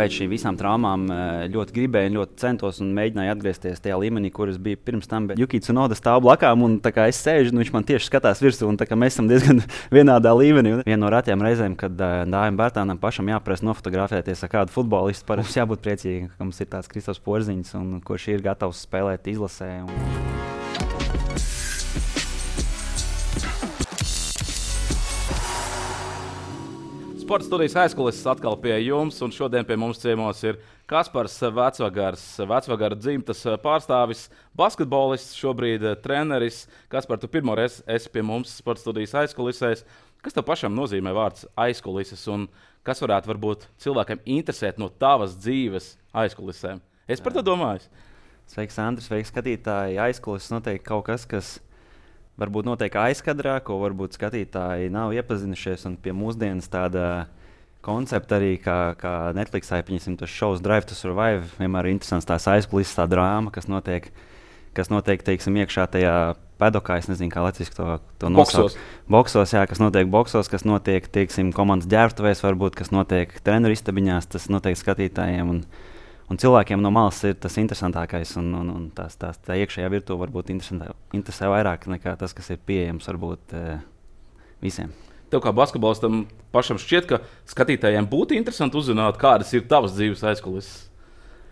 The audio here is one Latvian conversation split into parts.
pēc šīm visām traumām ļoti gribēju, ļoti centos un mēģināju atgriezties tajā līmenī, kur es biju pirms tam. Bet Yuki Tsunoda stāv blakām, un es sēžu, un viņš man tieši skatās virsū, un mēs esam diezgan vienādā līmenī. Viena no retajām reizēm, kad Dāvim Bērtānam pašam jāprasa nofotografēties ar kādu futbolistu, parasti jābūt priecīgam, ka mums ir tāds Kristofs Porziņš, un kurš ir gatavs spēlēt izlasē. Sporta studijas aizkulises atkal pie jums, un šodien pie mums ciemos ir Kaspars Vecvagars, Vecvagara dzimtas pārstāvis, basketbolists, šobrīd treneris. Kaspar, tu pirmo reizi esi pie mums sporta studijas aizkulisēs. Kas tev pašam nozīmē vārds aizkulises, un kas varbūt cilvēkiem interesēt no tavas dzīves aizkulisēm? Es par to domāju. Sveiks, Andris, sveiks, skatītāji. Aizkulises noteikti kaut kas, kas varbūt notiek aizkadrā, ko varbūt skatītāji nav iepazinušies. Un pie mūsdienas tāda koncepta arī, kā Netflixā, pieņemsim, tas šovs Drive to Survive, vienmēr ir interesants tās aizkulises, tā drāma, kas notiek, teiksim, iekšā tajā pedokā, es nezinu, kā latviski to nosaukt. Boksos, jā, kas notiek boksos, kas notiek, teiksim, komandas ģērbtuvēs, varbūt, kas notiek treneru istabiņās, tas notiek skatītājiem. Un cilvēkiem no malas ir tas interesantākais, un tā iekšējā virtuve varbūt interesē vairāk nekā tas, kas ir pieejams varbūt visiem. Tev kā basketbolistam pašam šķiet, ka skatītājiem būtu interesanti uzzināt, kādas ir tavas dzīves aizkulises?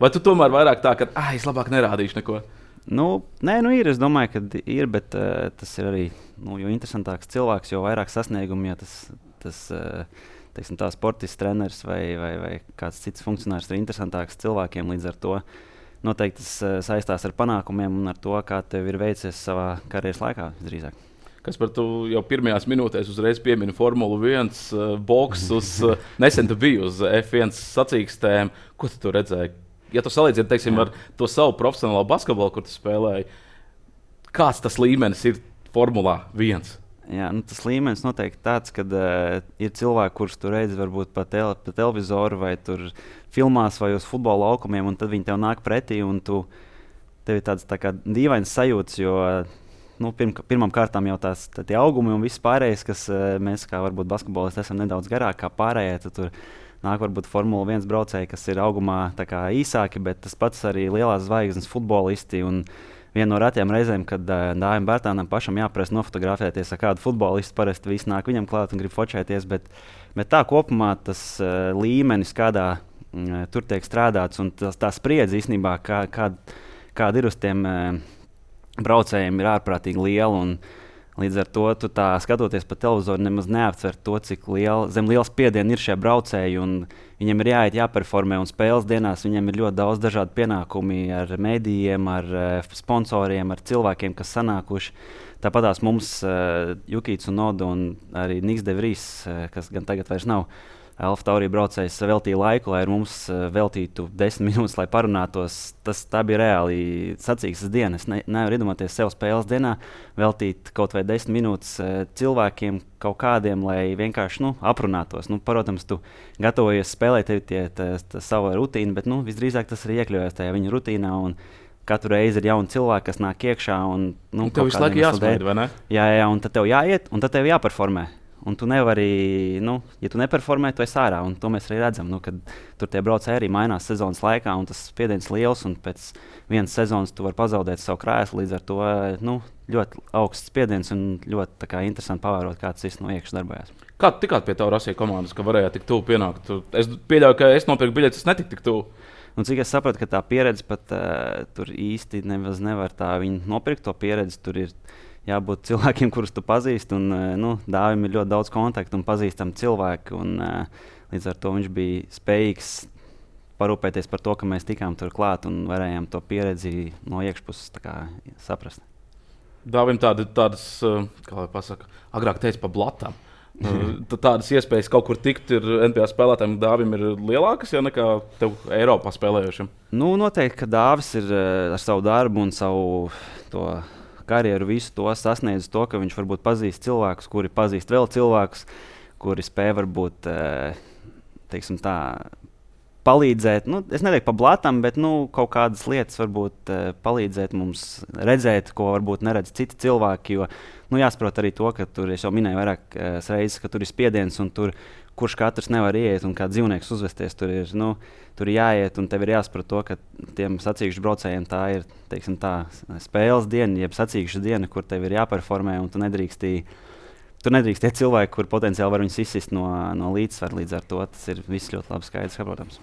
Vai tu tomēr vairāk tā, ka es labāk nerādīšu neko? Nē, ir. Es domāju, ka ir, bet tas ir arī jo interesantāks cilvēks, jo vairāk sasniegumu, ja tas teiksim, tā sportists, treneris vai kāds cits funkcionārs ir interesantāks cilvēkiem. Līdz ar to noteikti tas saistās ar panākumiem un ar to, kā tev ir veicies savā karjeras laikā visdrīzāk. Kas par to jau pirmajās minūtēs uzreiz piemina Formulu 1, boksus, nesen tu biji uz F1 sacīkstēm. Ko tu tur redzēji? Ja tu salīdzini, teiksim, ar to savu profesionālo basketbolu, kur tu spēlēji, kāds tas līmenis ir Formulā 1? Jā, tas līmenis noteikti tāds, ka ir cilvēki, kurus tu redzi varbūt pa televizoru vai tur filmās vai uz futbola laukumiem, un tad viņi tev nāk pretī, un tev ir tāds tā kā dīvains sajūts, jo pirmām kārtām jau tie augumi un viss pārējais, kas mēs kā varbūt basketbolisti esam nedaudz garāk kā pārējie, tad tur nāk varbūt Formula 1 braucēji, kas ir augumā tā kā īsāki, bet tas pats arī lielās zvaigznes futbolisti. Un viena no retajām reizēm, kad Dāvim Bērtānam pašam jāprasa nofotografēties ar kādu futbolistu, parasti visi nāk viņam klāt un grib fočēties, bet tā kopumā tas līmenis, kādā tur tiek strādāts, un tā spriedze īstenībā, kāda ir uz tiem braucējiem, ir ārprātīgi liela. Līdz ar to tu tā skatoties pa televizoru nemaz neaptver to, cik zem liela spiediena ir šie braucēji, un viņiem ir jāperformē, un spēles dienās viņiem ir ļoti daudz dažādu pienākumu ar mēdījiem, ar sponsoriem, ar cilvēkiem, kas sanākuši. Tāpatās mums Yuki Tsunoda un arī Niks de Vries, kas gan tagad vairs nav Alfa Tauri braucējs, veltīja laiku, lai ar mums veltītu 10 minūtes, lai parunātos. Tā bija reāli sacīkstes diena. Es nevaru iedomāties sev spēles dienā veltīt kaut vai 10 minūtes cilvēkiem kaut kādiem, lai vienkārši aprunātos. Protams, tu gatavojies spēlēt, tev ir sava rutīna, bet visdrīzāk tas ir iekļaujies tajā viņa rutīnā. Katru reizi ir jauni cilvēki, kas nāk iekšā. Tev visu laiku jāsmaida, vai ne? Jā, un tad tev jāiet, un tad tev jāperformē. Un tu nevari, ja tu neperformē, tu esi ārā. Un to mēs arī redzam, kad tur tie braucēji arī mainās sezonas laikā, un tas spiediens liels, un pēc vienas sezonas tu vari pazaudēt savu krēslu. Līdz ar to ļoti augsts spiediens un ļoti interesanti pavērot, kā tas no iekšas darbojas. Kā tu tikāt pie tā Rasija komandas, ka varēja tik tuvu pienākt? Es pieļauju, ka es nopirku biļetes, es netiku tik tuvu. Cik es sapratu, ka tā pieredze pat tur īsti nevar tā viņi nopirkt to pieredzi. Tur ir jābūt cilvēkiem, kurus tu pazīsti. Dāvim ir ļoti daudz kontaktu un pazīstami cilvēki. Līdz ar to viņš bija spējīgs parūpēties par to, ka mēs tikām tur klāt un varējām to pieredzi no iekšpuses saprast. Dāvim tādas, kā lai pasaka, agrāk teica pa blatām. Tādas iespējas kaut kur tikt ir NBA spēlētājiem, Dāvim ir lielākas nekā tev Eiropā spēlējošiem? Noteikti, ka Dāvis ir ar savu darbu un savu to karjeru visu to sasniedz to, ka viņš varbūt pazīst cilvēkus, kuri pazīst vēl cilvēkus, kuri spēj varbūt, teiksim tā, palīdzēt, es neteiktu pa blatam, bet kaut kādas lietas varbūt palīdzēt mums redzēt, ko varbūt neredz citi cilvēki, jo jāsaprot arī to, ka tur, es jau minēju vairākas reizes, ka tur ir spiediens un tur kurš katrs nevar iet un kā dzīvnieks uzvesties. Tur ir jāiet, un tev ir jāsaprot to, ka tiem sacīkšu braucējiem tā ir spēles diena, jeb sacīkšu diena, kur tev ir jāperformē, un tu nedrīkst tie cilvēki, kur potenciāli var viņus izsist no līdzsvara. Līdz ar to tas ir viss ļoti labi skaidrs, saprotams.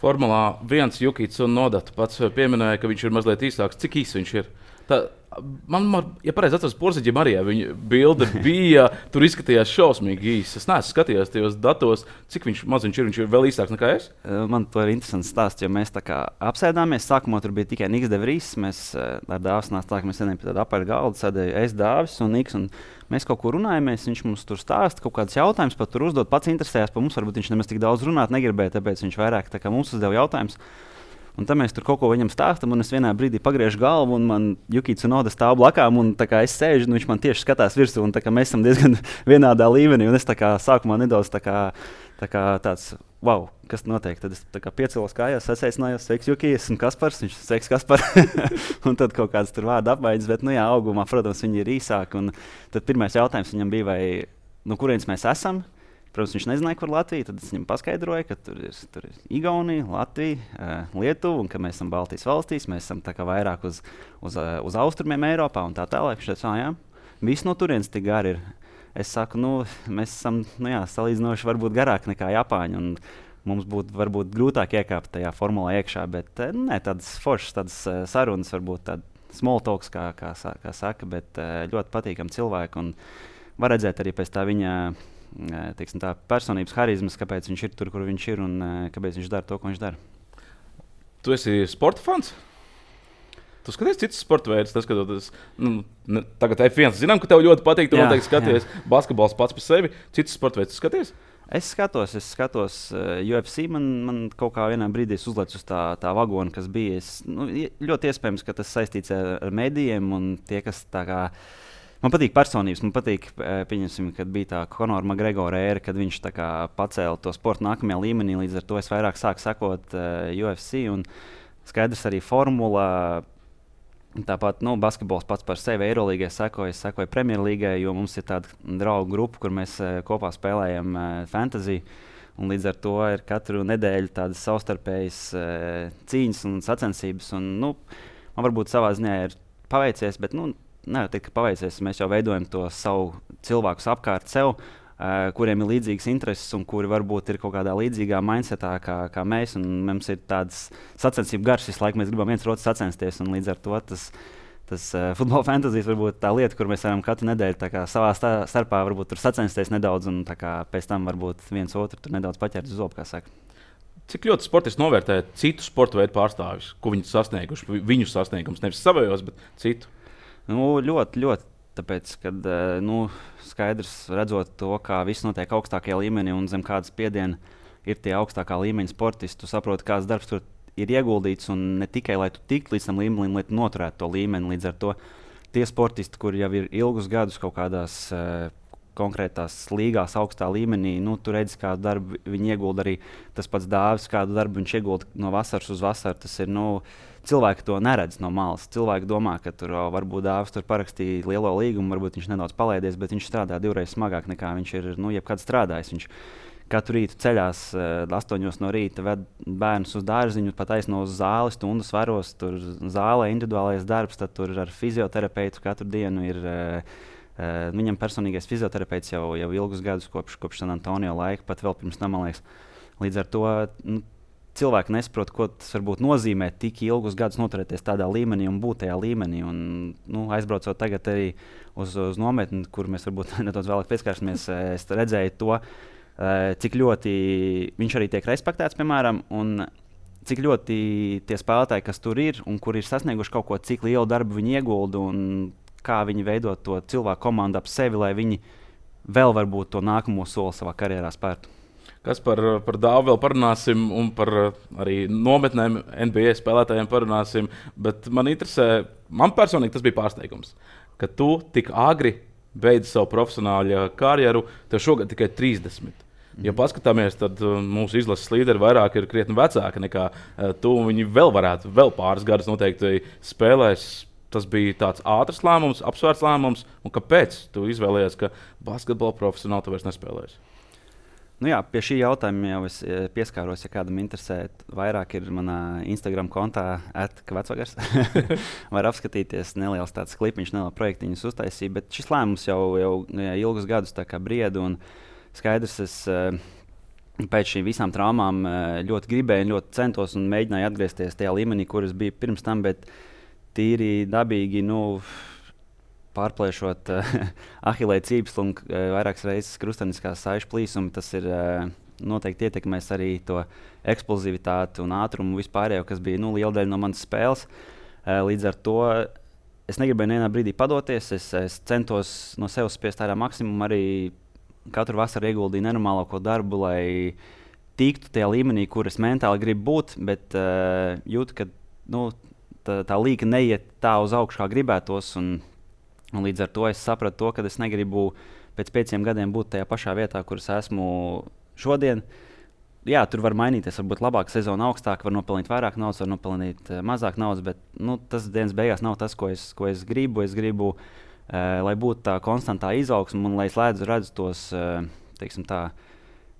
Formulā 1 Juki Tsunoda pats pieminēja, ka viņš ir mazliet īsāks. Cik īss viņš ir? Ja pareizi atceros, Porziņģim arī viņa bilde bija, tur izskatījās šausmīgi īsi. Es neesmu skatījies tajos datos, cik viņš ir vēl īsāks nekā es. Man to ir interesants stāsts, jo mēs tā kā apsēdāmies. Sākumā tur bija tikai Niks de Vries. Mēs ar Dāvis nāca tā, ka mēs sēdējām pie tāda apaļa galda, sēdēja es, Dāvis un Niks. Un mēs kaut ko runājamies, viņš mums tur stāsta kaut kādus jautājumus, pat tur uzdot, pats interesējās par mums. Varbūt viņš nemaz tik daudz runāt negribēja, tāpēc viņš vairāk tā kā mums uzdeva jautājumus. Un tad mēs tur kaut ko viņam stāstām, un es vienā brīdī pagriežu galvu, un man Juki Tsunoda stāv blakām, un es sēžu, un viņš man tieši skatās virsū, un mēs esam diezgan vienādā līmenī. Un es sākumā nedaudz tāds, wow, kas notiek? Tad es piecēlos kājās, sasveicinājos, sveiks, Juki, esmu Kaspars, viņš sveiks, Kaspar. Un tad kaut kāds tur vārdu apmaiņas, bet, augumā, protams, viņi ir īsāki. Un tad pirmais jautājums viņam bija, no kurienes mēs esam? Protams, viņš nezināja, kur Latvija. Tad es viņam paskaidroju, ka tur ir Igaunija, Latvija, Lietuva, un ka mēs esam Baltijas valstīs. Mēs esam vairāk uz austrumiem Eiropā un tā tālāk. Viņš teica, jā, viss no turienes tik gari ir. Es saku, mēs esam salīdzinoši varbūt garāk nekā Japāņi, un mums būtu varbūt grūtāk iekāpt tajā formulā iekšā, bet tādas foršas, tādas sarunas, varbūt tāda small talks, kā saka, bet ļoti patīkami cilvēki, un var redzēt arī pēc tā viņa tā personības harizmas, kāpēc viņš ir tur, kur viņš ir, un kāpēc viņš dara to, ko viņš dara. Tu esi sporta fans? Tu skaties citus sporta veidus, tagad F1 zinām, ka tev ļoti patīk, tu noteikti skaties. Basketbols pats par sevi, citus sporta veidus skaties? Es skatos UFC, man kaut kā vienā brīdī uzlec uz tā vagona, kas bija. Ļoti iespējams, ka tas saistīts ar medijiem, un tie, kas tā kā man patīk personības, man patīk, pieņemsim, kad bija tā Conora McGregora ēra, kad viņš pacēla to sportu nākamajā līmenī, līdz ar to es vairāk sāku sekot UFC, un skaidrs arī formula, tāpat, basketbols pats par sevi Eirolīgai sekoju Premjerlīgai, jo mums ir tāda draugu grupa, kur mēs kopā spēlējam fantasy, un līdz ar to ir katru nedēļu tādas savstarpējas cīņas un sacensības, un, man varbūt savā ziņā ir paveicies, bet, Nē, ka paveicies, mēs jau veidojam to savu cilvēku apkārt sev, kuriem ir līdzīgas intereses un kuri varbūt ir kaut kādā līdzīgā mindsetā kā mēs. Mums ir tādas sacensību gars, visu laiku mēs gribam viens otru sacensties, un līdz ar to tas futbola fantāzijas varbūt tā lieta, kur mēs varam katru nedēļu savā starpā varbūt tur sacensties nedaudz, un pēc tam varbūt viens otru tur nedaudz paķert uz zobu, kā saka. Cik ļoti sportisti novērtē citu sporta veidu pārstāvjus, ko viņi sasnieguši, viņu sasniegums, nevis savējos, bet citu? Ļoti, tāpēc, kad skaidrs redzot to, kā viss notiek augstākajā līmenī un zem kādas spiediena ir tie augstākā līmeņa sportisti, tu saproti, kāds darbs tur ir ieguldīts, un ne tikai, lai tu tiktu līdz tam līmenim, lai tu noturētu to līmeni. Līdz ar to tie sportisti, kuri jau ir ilgus gadus kaut kādās konkrētās līgās augstā līmenī, tu redzi, kādu darbu viņi iegulda. Arī tas pats Dāvis, kādu darbu viņš iegulda no vasaras uz vasaru. Tas ir, cilvēki to neredz no malas. Cilvēki domā, ka tur varbūt Dāvis tur parakstīja lielo līgumu, varbūt viņš nedaudz palaidies, bet viņš strādā divreiz smagāk nekā viņš ir jebkad strādājis. Viņš katru rītu ceļās 8 no rīta, ved bērnus uz dārziņu, pat aizno uz zāli, stundas varos, tur zālē individuālais darbs, tad tur ar fizioterapeitu katru dienu ir. Viņam personīgais fizioterapeits jau ilgus gadus kopš San Antonio laika, pat vēl pirms tam, man liekas. Līdz ar to cilvēki nesaprot, ko tas varbūt nozīmē tik ilgus gadus noturēties tādā līmenī un būt tajā līmenī. Un, aizbraucot tagad arī uz nometni, kur mēs varbūt nedaudz vēlāk pieskārsimies, es redzēju to, cik ļoti viņš arī tiek respektēts, piemēram, un cik ļoti tie spēlētāji, kas tur ir un kur ir sasnieguši kaut ko, cik lielu darbu viņi iegulda un kā viņi veido to cilvēku komandu ap sevi, lai viņi vēl varbūt to nākamo soli savā karjerā spērtu. Kas par Dāvu vēl parunāsim, un par arī nometnēm NBA spēlētājiem parunāsim, bet man personīgi tas bija pārsteigums, ka tu tik agri beidzi savu profesionāļu karjeru, tev šogad tikai 30. Ja paskatāmies, tad mūsu izlases līderi vairāk ir krietni vecāki nekā tu, un viņi vēl pāris gadus noteikti spēlēs. Tas bija tāds ātrs lēmums, apsvērts lēmums, un kāpēc tu izvēlējies, ka basketbola profesionāli tu vairs nespēlēsi? Nu jā, pie šī jautājuma jau es pieskāros, ja kādam interesē. Vairāk ir manā Instagram kontā @vecvagars. Var apskatīties neliels tāds klipiņš, neliela projektiņas uztaisīja, bet šis lēmums jau ilgus gadus tā kā brieda un skaidrs, es pēc šīm visām traumām ļoti gribēju, ļoti centos un mēģināju atgriezties tajā līmenī, kur es biju pirms tam, bet tīri dabīgi, pārplēšot ahilē cīpslu un vairākas reizes krustaniskās saišu plīsumu, tas ir noteikti ietekmēs arī to eksplozivitāti un ātrumu vispārējo, kas bija liela daļa no manas spēles. Līdz ar to es negribēju nevienā brīdī padoties, es centos no sevis spiest ārā maksimumu, arī katru vasaru ieguldīju nenormālāko darbu, lai tiktu tajā līmenī, kur es mentāli gribu būt, bet jūtu, ka tā līka neiet tā uz augšu, kā gribētos. Un līdz ar to es sapratu, ka es negribu pēc 5 gadiem būt tajā pašā vietā, kur es esmu šodien. Jā, tur var mainīties, varbūt labāka sezona augstāk, var nopelnīt vairāk naudas, var nopelnīt mazāk naudas, bet tas dienas beigās nav tas, ko es gribu. Es gribu, lai būtu tā konstantā izaugsme un lai es redzu tos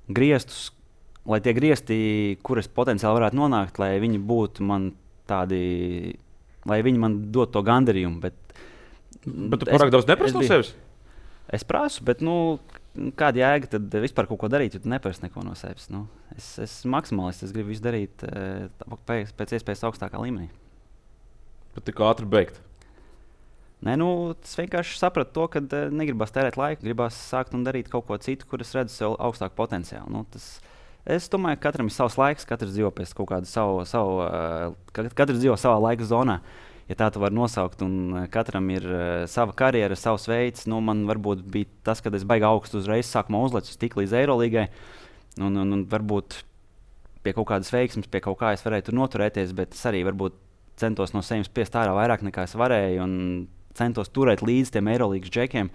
griestus, lai tie griesti, kur es potenciāli varētu nonākt, lai viņi būtu man tādi, lai viņi man dod to gandarījumu. Bet tu pārāk daudz neprasi no sevis? Es prasu, bet kāda jēga tad vispār kaut ko darīt, ja tu neprasi neko no sevis? Es esmu maksimālists, es gribu visu darīt pēc iespējas augstākā līmenī. Bet tik ātri beigt? Nē, es vienkārši sapratu to, ka negribas tērēt laiku, gribas sākt un darīt kaut ko citu, kur es redzu sev augstāku potenciālu. Es domāju, ka katram ir savs laiks, katrs dzīvo pēc kaut kāda katrs dzīvo savā laika zonā. Ja tā tu vari nosaukt, un katram ir sava karjera, savs veids, man varbūt bija tas, kad es baigi augstu uzreiz sākumā uzlecu tik līdz Eirolīgai, un varbūt pie kaut kādas veiksmes, pie kaut kā es varēju tur noturēties, bet es arī varbūt centos no sevis spiest ārā vairāk nekā es varēju, un centos turēt līdz tiem Eirolīgas džekiem,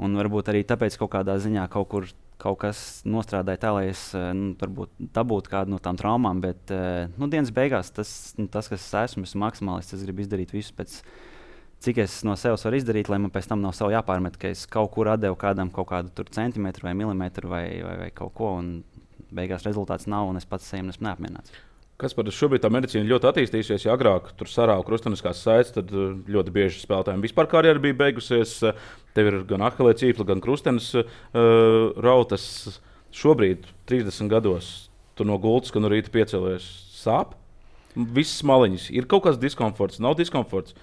un varbūt arī tāpēc kaut kādā ziņā kaut kas nostrādāja tā, lai es varbūt dabūtu kādu no tām traumām, bet dienas beigās tas, kas es esmu maksimālists, es gribu izdarīt visu pēc, cik es no sevis varu izdarīt, lai man pēc tam nav sev jāpārmet, ka es kaut kur atdevu kādam kaut kādu centimetru vai milimetru vai kaut ko, un beigās rezultāts nav, un es pats sevi esmu neapmierināts. Kaspar, šobrīd tā medicīna ļoti attīstījusies. Ja agrāk tur sarāva krustaniskās saites, tad ļoti bieži spēlētājiem vispār karjera bija beigusies. Tev ir gan ahilē cīpsla, gan krustenes rautas. Šobrīd, 30 gados, tu no gultas, ka no rīta piecēlies sāp. Visas maliņas. Ir kaut kāds diskomforts, nav diskomforts.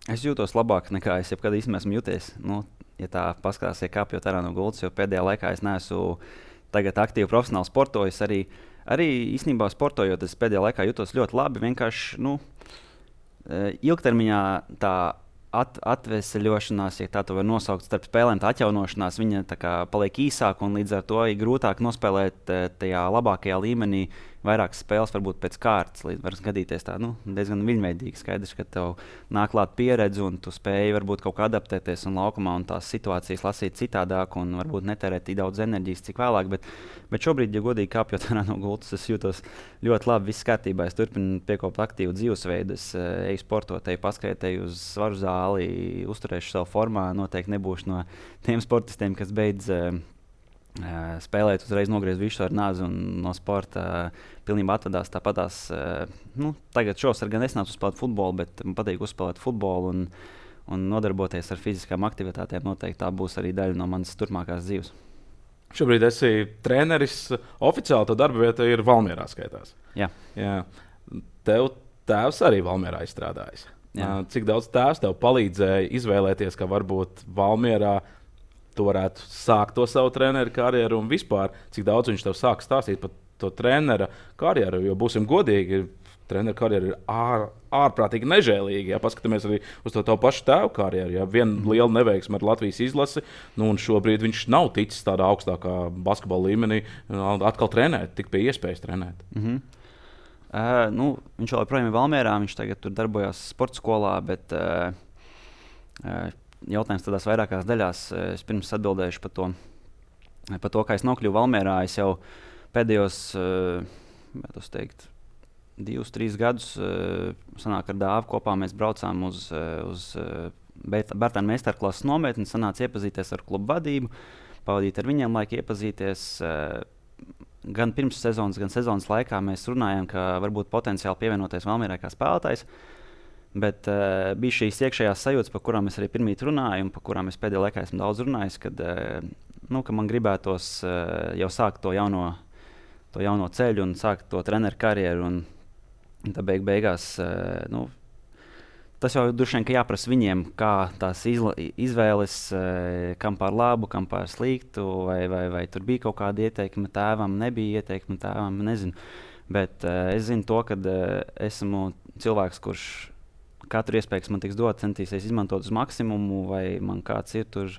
Es jūtos labāk nekā es jebkad īstenībā esmu jūties. Ja tā paskatās, kāpjot ārā no gultas, jo pēdējā laikā es neesmu tagad aktīvi profesionāli sportojis. Arī īstenībā sportojot, es pēdējā laikā jūtos ļoti labi. Vienkārši ilgtermiņā tā atveseļošanās, ja tā var nosaukt, starp spēlēm, tā atjaunošanās, viņa tā kā paliek īsāka un līdz ar to ir grūtāk nospēlēt tajā labākajā līmenī vairākas spēles, varbūt pēc kārtas. Var gadīties tā diezgan viļņveidīgi. Skaidrs, ka tev nāk klāt pieredze un tu spēj varbūt kaut kā adaptēties un laukumā un tās situācijas lasīt citādāk un varbūt netērēt tik daudz enerģijas, cik vēlāk. Bet šobrīd, ja godīgi kāpjot ārā no gultas, es jūtos ļoti labi, viss kārtībā. Es turpinu piekopt aktīvu dzīvesveidu, es eju sportot, eju paskriet, eju uz svaru zāli, uzturēšu savu formā. Noteikti nebūšu no tiem sportistiem, kas beidz spēlēt, uzreiz nogriezt visu ar nāzi un no sporta pilnībā atvadās. Tāpatās, tagad šovasar gan es nācu spēlēt futbolu, bet man patīk uzspēlēt futbolu un nodarboties ar fiziskām aktivitātēm. Noteikti tā būs arī daļa no manas turpmākās dzīves. Šobrīd esi treneris. Oficiāli tā darba vieta ir Valmierā skaitās. Jā. Tev tēvs arī Valmierā izstrādājis. Jā. Cik daudz tēvs tev palīdzēja izvēlēties, ka varbūt Valmierā tu varētu sākt to savu treneru karjeru un vispār, cik daudz viņš tev sāk stāstīt par to trenera karjeru, jo būsim godīgi, treneru karjeru ir ārprātīgi nežēlīgi. Ja paskatāmies arī uz to pašu tēvu karjeru, ja viena liela neveiksme ar Latvijas izlasi, un šobrīd viņš nav ticis tādā augstākā basketbola līmenī atkal trenēt, tik pie iespējas trenēt. Viņš joprojām ir Valmierā, viņš tagad tur darbojas sporta skolā, bet jautājums tādās vairākās daļās. Es pirms atbildēšu par to, kā es nokļuvu Valmierā. Es jau pēdējos 2-3 gadus sanāk ar Dāvu kopā mēs braucām uz Bērtānu meistarklases nometni, sanāca iepazīties ar klubu vadību, pavadīt ar viņiem laiku, iepazīties. gan pirms sezonas, gan sezonas laikā mēs runājām, ka varbūt potenciāli pievienoties Valmierai kā spēlētājs. Bet bija šīs iekšējās sajūtas, par kurām es arī pirmīt runāju, un par kurām es pēdējā laikā esmu daudz runājis, ka man gribētos jau sākt to jauno ceļu un sākt to treneru karjeru. Un tad beigās tas jau droši vien jāprasa viņiem, kā tās izvēles, kam par labu, kam par sliktu, vai tur bija kaut kāda ieteikuma tēvam, nebija ieteikuma tēvam, nezinu. Bet es zinu to, ka esmu cilvēks, kurš katru iespēju, kas man tiks dot, centīsies izmantot uz maksimumu, vai man kāds ir tur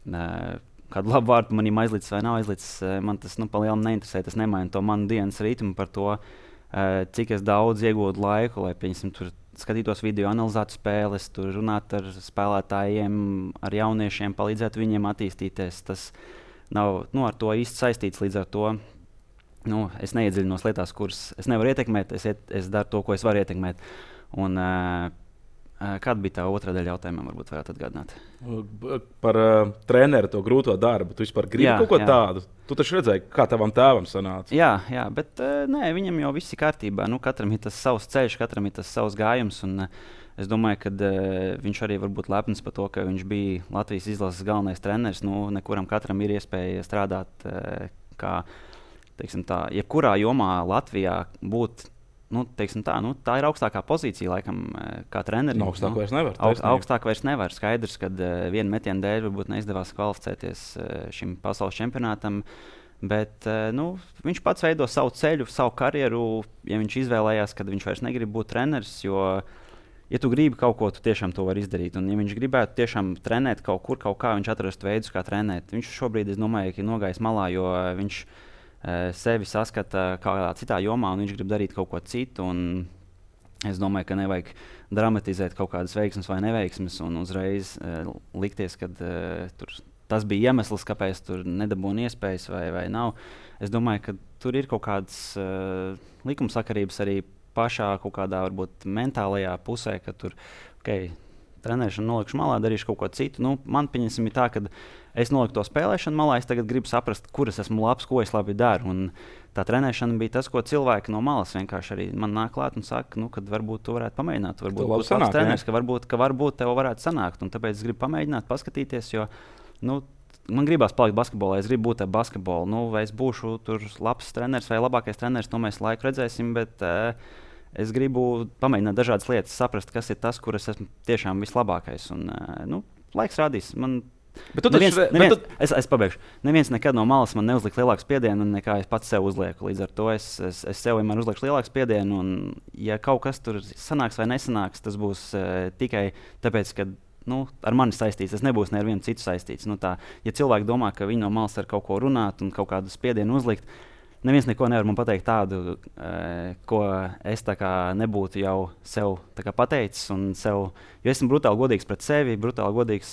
kādu labu vārdu manim aizlicis vai nav aizlicis. Man tas pa lielam neinteresē, tas nemaina to manu dienas ritmu par to, cik es daudz iegūtu laiku, lai, pieņemsim, tur skatītos video, analizētu spēles, tur runātu ar spēlētājiem, ar jauniešiem, palīdzētu viņiem attīstīties. Tas nav ar to īsti saistīts, līdz ar to es neiedziļinos lietās, kuras es nevaru ietekmēt, es daru to, ko es varu ietekmēt. Un, kāda bija tā otrā daļa jautājumam, varbūt varētu atgādināt? Par treneru to grūto darbu. Tu vispār gribi kaut ko tādu? Tu taču redzēji, kā tavam tēvam sanāca. Jā, bet nē, viņam jau viss ir kārtībā. Katram ir tas savs ceļš, katram ir tas savs gājums. Un, es domāju, ka viņš arī var būt lepns par to, ka viņš bija Latvijas izlases galvenais treneris. Nekuram katram ir iespēja strādāt kā, teiksim tā, jebkurā jomā Latvijā būt. Tā ir augstākā pozīcija, laikam, kā trenerim. Augstāk vairs nevar. Augstāk vairs nevar. Skaidrs, ka viena metiena dēļ varbūt neizdevās kvalificēties šim pasaules čempionātam. Bet viņš pats veido savu ceļu, savu karjeru. Ja viņš izvēlējās, ka viņš vairs negrib būt treneris, jo, ja tu gribi kaut ko, tu tiešām to vari izdarīt. Un, ja viņš gribētu tiešām trenēt kaut kur, kaut kā, viņš atrastu veidus, kā trenēt. Viņš šobrīd, es domāju, ir nogājis malā, jo viņš sevi saskata kādā citā jomā, un viņš grib darīt kaut ko citu. Es domāju, ka nevajag dramatizēt kaut kādas veiksmes vai neveiksmes un uzreiz likties, ka tas bija iemesls, kāpēc tur nedabūna iespējas vai nav. Es domāju, ka tur ir kaut kādas likumsakarības arī pašā kaut kādā varbūt mentālajā pusē, ka tur trenēšanu nolikšu malā, darīšu kaut ko citu. Man pieņemsim ir tā, ka es noliku to spēlēšanu malā, es tagad gribu saprast, kur es esmu labs, ko es labi daru. Un tā trenēšana bija tas, ko cilvēki no malas vienkārši arī man nāk klāt un saka, ka varbūt tu varētu pamēģināt. Varbūt būs labs treneris, ka varbūt tev varētu sanākt. Un tāpēc es gribu pamēģināt, paskatīties, jo man gribās palikt basketbolā, es gribu būt ar basketbolu. Vai es būšu tur labs treneris vai labākais treneris, to mēs laiku redzēsim. Bet, es gribu pamēģināt dažādas lietas, saprast, kas ir tas, kur es esmu tiešām vislabākais. Un, laiks rādīs. Es pabeigšu. Neviens nekad no malas man neuzlika lielāku spiedienu, nekā es pats sev uzlieku. Līdz ar to es sev vienmēr uzlieku lielāku spiedienu. Un, ja kaut kas tur sanāks vai nesanāks, tas būs tikai tāpēc, ka ar mani saistīts. Tas nebūs ne ar vienu citu saistīts. Ja cilvēki domā, ka viņi no malas var kaut ko runāt un kaut kādu spiedienu uzlikt, neviens neko nevar man pateikt tādu, ko es nebūtu jau sev pateicis. Jo esmu brutāli godīgs pret sevi, brutāli godīgs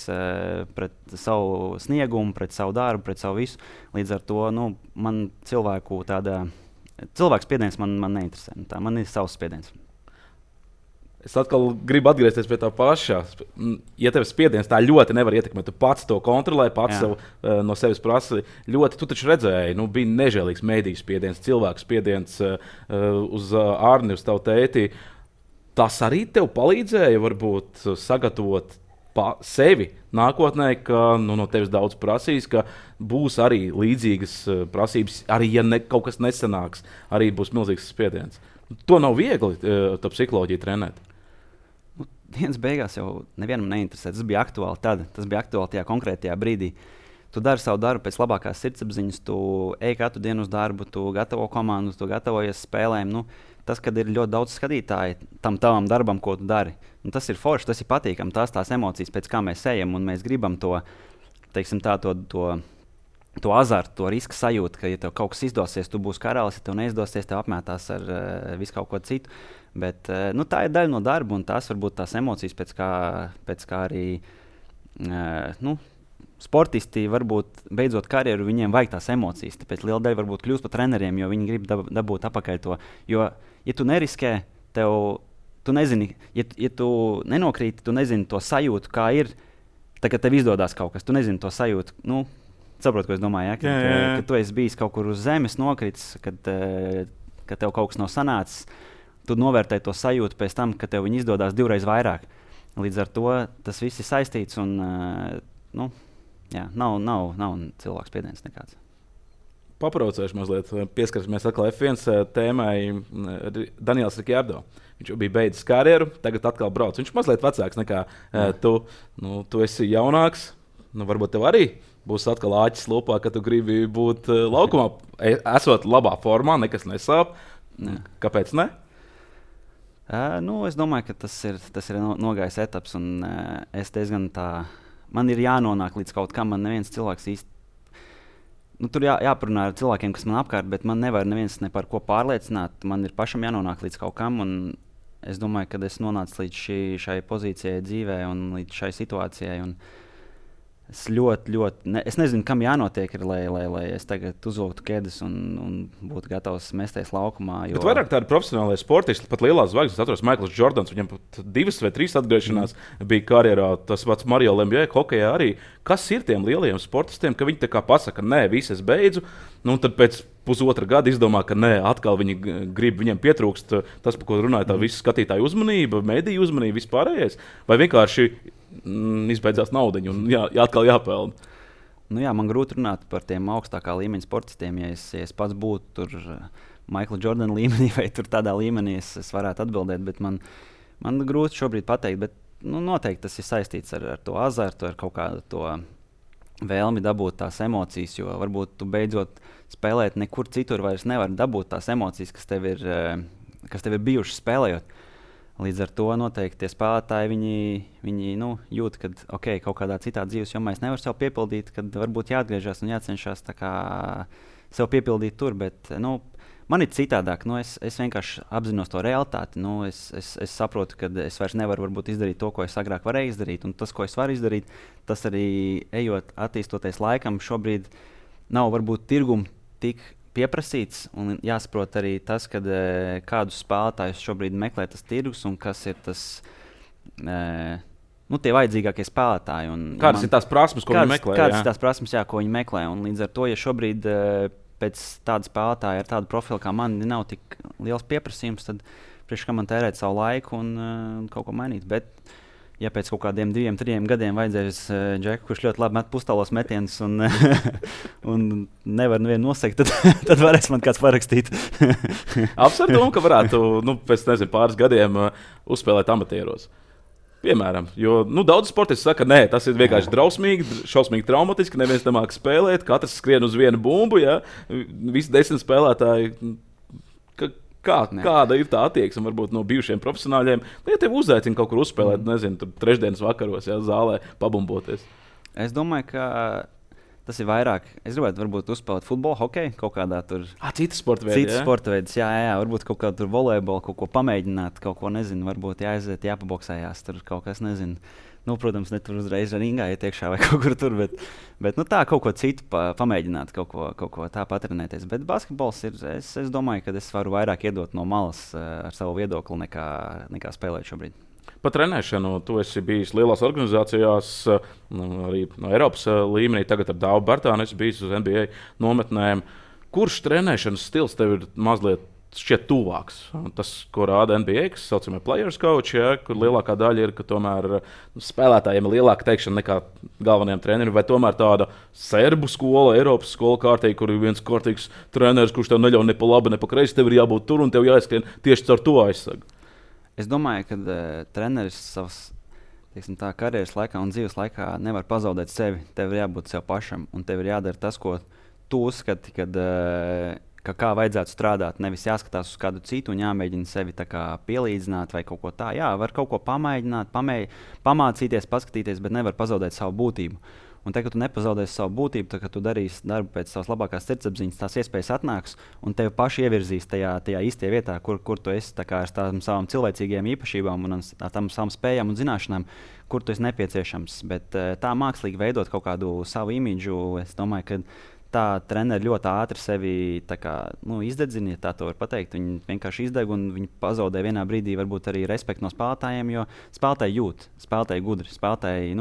pret savu sniegumu, pret savu darbu, pret savu visu. Līdz ar to man cilvēku spiediens man neinteresē. Man ir savs spiediens. Es atkal gribu atgriezties pie tā pašā. Ja tev spiediens tā ļoti nevar ietekmēt, tu pats to kontrolē, pats sev, no sevis prasa ļoti. Tu taču redzēji, bija nežēlīgs mēdīju spiediens, cilvēku spiediens uz Arni, uz tavu tēti. Tas arī tev palīdzēja varbūt sagatavot sevi nākotnē, ka no tevis daudz prasīs, ka būs arī līdzīgas prasības, arī ja kaut kas nesanāks, arī būs milzīgs spiediens. To nav viegli tā psiholoģija trenēt. Dienas beigās jau nevienam neinteresē. Tas bija aktuāli tad, tas bija aktuāli tajā konkrētajā brīdī. Tu dari savu darbu pēc labākās sirdsapziņas, tu ej katru dienu uz darbu, tu gatavo komandu, tu gatavojies spēlēm. Tas, kad ir ļoti daudz skatītāju tam tavam darbam, ko tu dari, tas ir forši, tas ir patīkami, tās emocijas, pēc kā mēs ejam, un mēs gribam to, to azartu, to riska sajūtu, ka, ja tev kaut kas izdosies, tu būsi karalis, ja tev neizdosies, tev apmētās ar visu kaut ko citu. Bet tā ir daļa no darba, un tās varbūt tās emocijas, pēc kā arī sportisti varbūt beidzot karjeru, viņiem vajag tās emocijas. Tāpēc liela daļa varbūt kļūst par treneriem, jo viņi grib dabūt apakaļ to. Jo, ja tu neriskē, tu nezini, ja tu nenokrīti, tu nezini to sajūtu, kā ir, tagad tev izdodas kaut kas, tu nezini to sajūtu. Saprotu, ko es domāju, ka tu esi bijis kaut kur uz zemes nokritis, kad tev kaut kas nav sanācis. Tu novērtē to sajūtu pēc tam, ka tev viņi izdodas 2 reizes vairāk. Līdz ar to tas viss ir saistīts un nav cilvēks spiediens nekāds. Papraucēšu mazliet, pieskarsimies atkal F1 tēmai. Daniels Ricciardo. Viņš jau bija beidzis karjeru, tagad atkal brauc. Viņš ir mazliet vecāks nekā tu. Tu esi jaunāks, varbūt tev arī būs atkal āķis lupā, ka tu gribi būt laukumā. Esot labā formā, nekas nesāp. Kāpēc ne? Es domāju, ka tas ir nogājis etaps, un es diezgan man ir jānonāk līdz kaut kam. Man neviens cilvēks īsti. Tur jāparunā ar cilvēkiem, kas man apkārt, bet man nevar neviens ne par ko pārliecināt. Man ir pašam jānonāk līdz kaut kam, un es domāju, ka es nonācu līdz šai pozīcijai dzīvē un līdz šai situācijai. Es es nezinu, kam jānotiek, lai es tagad uzvilktu ķēdes un būtu gatavs mesties laukumā. Bet vairāk tādi profesionāli sportisti, pat lielās zvaigznes, atceros, Maikls Jordans, viņam pat 2 vai 3 atgriešanās bija karjerā. Tas pats Mario Lemieux, hokejā arī. Kas ir tiem lielajiem sportistiem, ka viņi tā kā pasaka, nē, viss es beidzu, tad pēc pusotra gada izdomā, ka nē, atkal viņi grib, viņiem pietrūkst tas, par ko runāja, tā visa skatītāju uzmanība, mediju uzmanība, vispārējais, vai vienkārši izbeidzās naudiņu un atkal jāpelna. Man grūti runāt par tiem augstākā līmeņa sportistiem. Ja es pats būtu tur Maikla Jordana līmenī vai tur tādā līmenī, es varētu atbildēt, bet man grūti šobrīd pateikt. Bet, noteikti tas ir saistīts ar to azartu, ar kaut kādu to vēlmi dabūt tās emocijas, jo varbūt tu beidzot spēlēt nekur citur vairs nevari dabūt tās emocijas, kas tev ir bijušas spēlējot. Līdz ar to noteikti tie spēlētāji viņi jūt, ka kaut kādā citā dzīves jomā es nevaru sev piepildīt, kad varbūt jāatgriežas un jācenšas sev piepildīt tur. Bet man ir citādāk. Es vienkārši apzinos to realitāti. Es saprotu, ka es vairs nevaru izdarīt to, ko es agrāk varēju izdarīt. Un tas, ko es varu izdarīt, tas arī ejot, attīstoties laikam, šobrīd nav varbūt tirgumu tik pieprasīts, un jāsaprot arī tas, kādus spēlētājus šobrīd meklē tas tirgus un kas ir tas tie vajadzīgākie spēlētāji. Kādas ir tās prasmes, ko viņi meklē? Kādas ir tās prasmes, ko viņi meklē? Un līdz ar to, ja šobrīd pēc tāda spēlētāja ar tādu profilu kā man nav tik liels pieprasījums, tad priekš kā man tērēt savu laiku un kaut ko mainīt. Bet ja pēc kaut kādiem 2-3 gadiem vajadzēs Džeku, kurš ļoti labi met pustālos metienus un nevar nevienu nosegt, tad varēs man kāds parakstīt. Apsver domu, ka varētu pēc pāris gadiem uzspēlēt amatieros. Piemēram, jo daudz sportisti saka, nē, tas ir vienkārši drausmīgi, šausmīgi traumatiski, neviens nemāk spēlēt, katrs skrien uz vienu bumbu, visi 10 spēlētāji. Kāda ir tā attieksme varbūt no bijušiem profesionāļiem? Ja tev uzaicina kaut kur uzspēlēt, nezinu, tur trešdienas vakaros, zālē pabumboties. Es domāju, ka tas ir vairāk. Es gribētu varbūt uzspēlēt futbolu, hokeju, kaut kādā tur. Citas sporta veidi. Citas sporta veidus, jā, varbūt kaut kādu volejbolu, kaut ko pamēģināt, kaut ko nezinu, varbūt jāaiziet, jāpaboksējās, tur kaut kas nezinu. Protams, ne tur uzreiz ringā iet iekšā vai kaut kur tur, bet tā kaut ko citu pamēģināt, kaut ko tā patrenēties. Bet basketbols ir, es domāju, ka es varu vairāk iedot no malas ar savu viedokli nekā spēlēt šobrīd. Par trenēšanu tu esi bijis lielās organizācijās, arī no Eiropas līmenī. Tagad ar Dāvu Bartānu esi bijis uz NBA nometnēm. Kurš trenēšanas stils tev ir mazliet šķiet tuvāks? Tas, ko rāda NBA, kas saucamie players coach, kur lielākā daļa ir, ka tomēr spēlētājiem ir lielāka teikšana nekā galvenajiem treneriem, vai tomēr tāda serbu skola, Eiropas skola kārtīgi, kur ir viens kārtīgs treneris, kurš tev neļauj ne pa labi, ne pa kreisi, tev ir jābūt tur un tev jāizskrien tieši caur to aizsagu. Es domāju, ka treneris savas karjeras laikā un dzīves laikā nevar pazaudēt sevi. Tev ir jābūt sev pašam un tev ir jādara tas, ko tu uzskati, kā vajadzētu strādāt. Nevis jāskatās uz kādu citu un jāmēģina sevi pielīdzināt vai kaut ko tādu. Jā, var kaut ko pamēģināt, pamācīties, paskatīties, bet nevar pazaudēt savu būtību. Un tad, kad tu nepazaudēsi savu būtību, tad, kad tu darīsi darbu pēc savas labākās sirdsapziņas, tās iespējas atnāks un tevi paši ievirzīs tajā īstajā vietā, kur tu esi ar tām savām cilvēcīgajām īpašībām un ar tām savām spējām un zināšanām, kur tu esi nepieciešams. Bet tā mākslīgi veidot kaut kādu savu imidžu, es domāju, ka tā treneri ļoti ātri sevi izdedzina, ja tā var pateikt. Viņi vienkārši izdeg un viņi pazaudē vienā brīdī varbūt arī respektu no spēlētājiem, jo spēlētāji jūt, spēlētāji gudri, spēlētāji,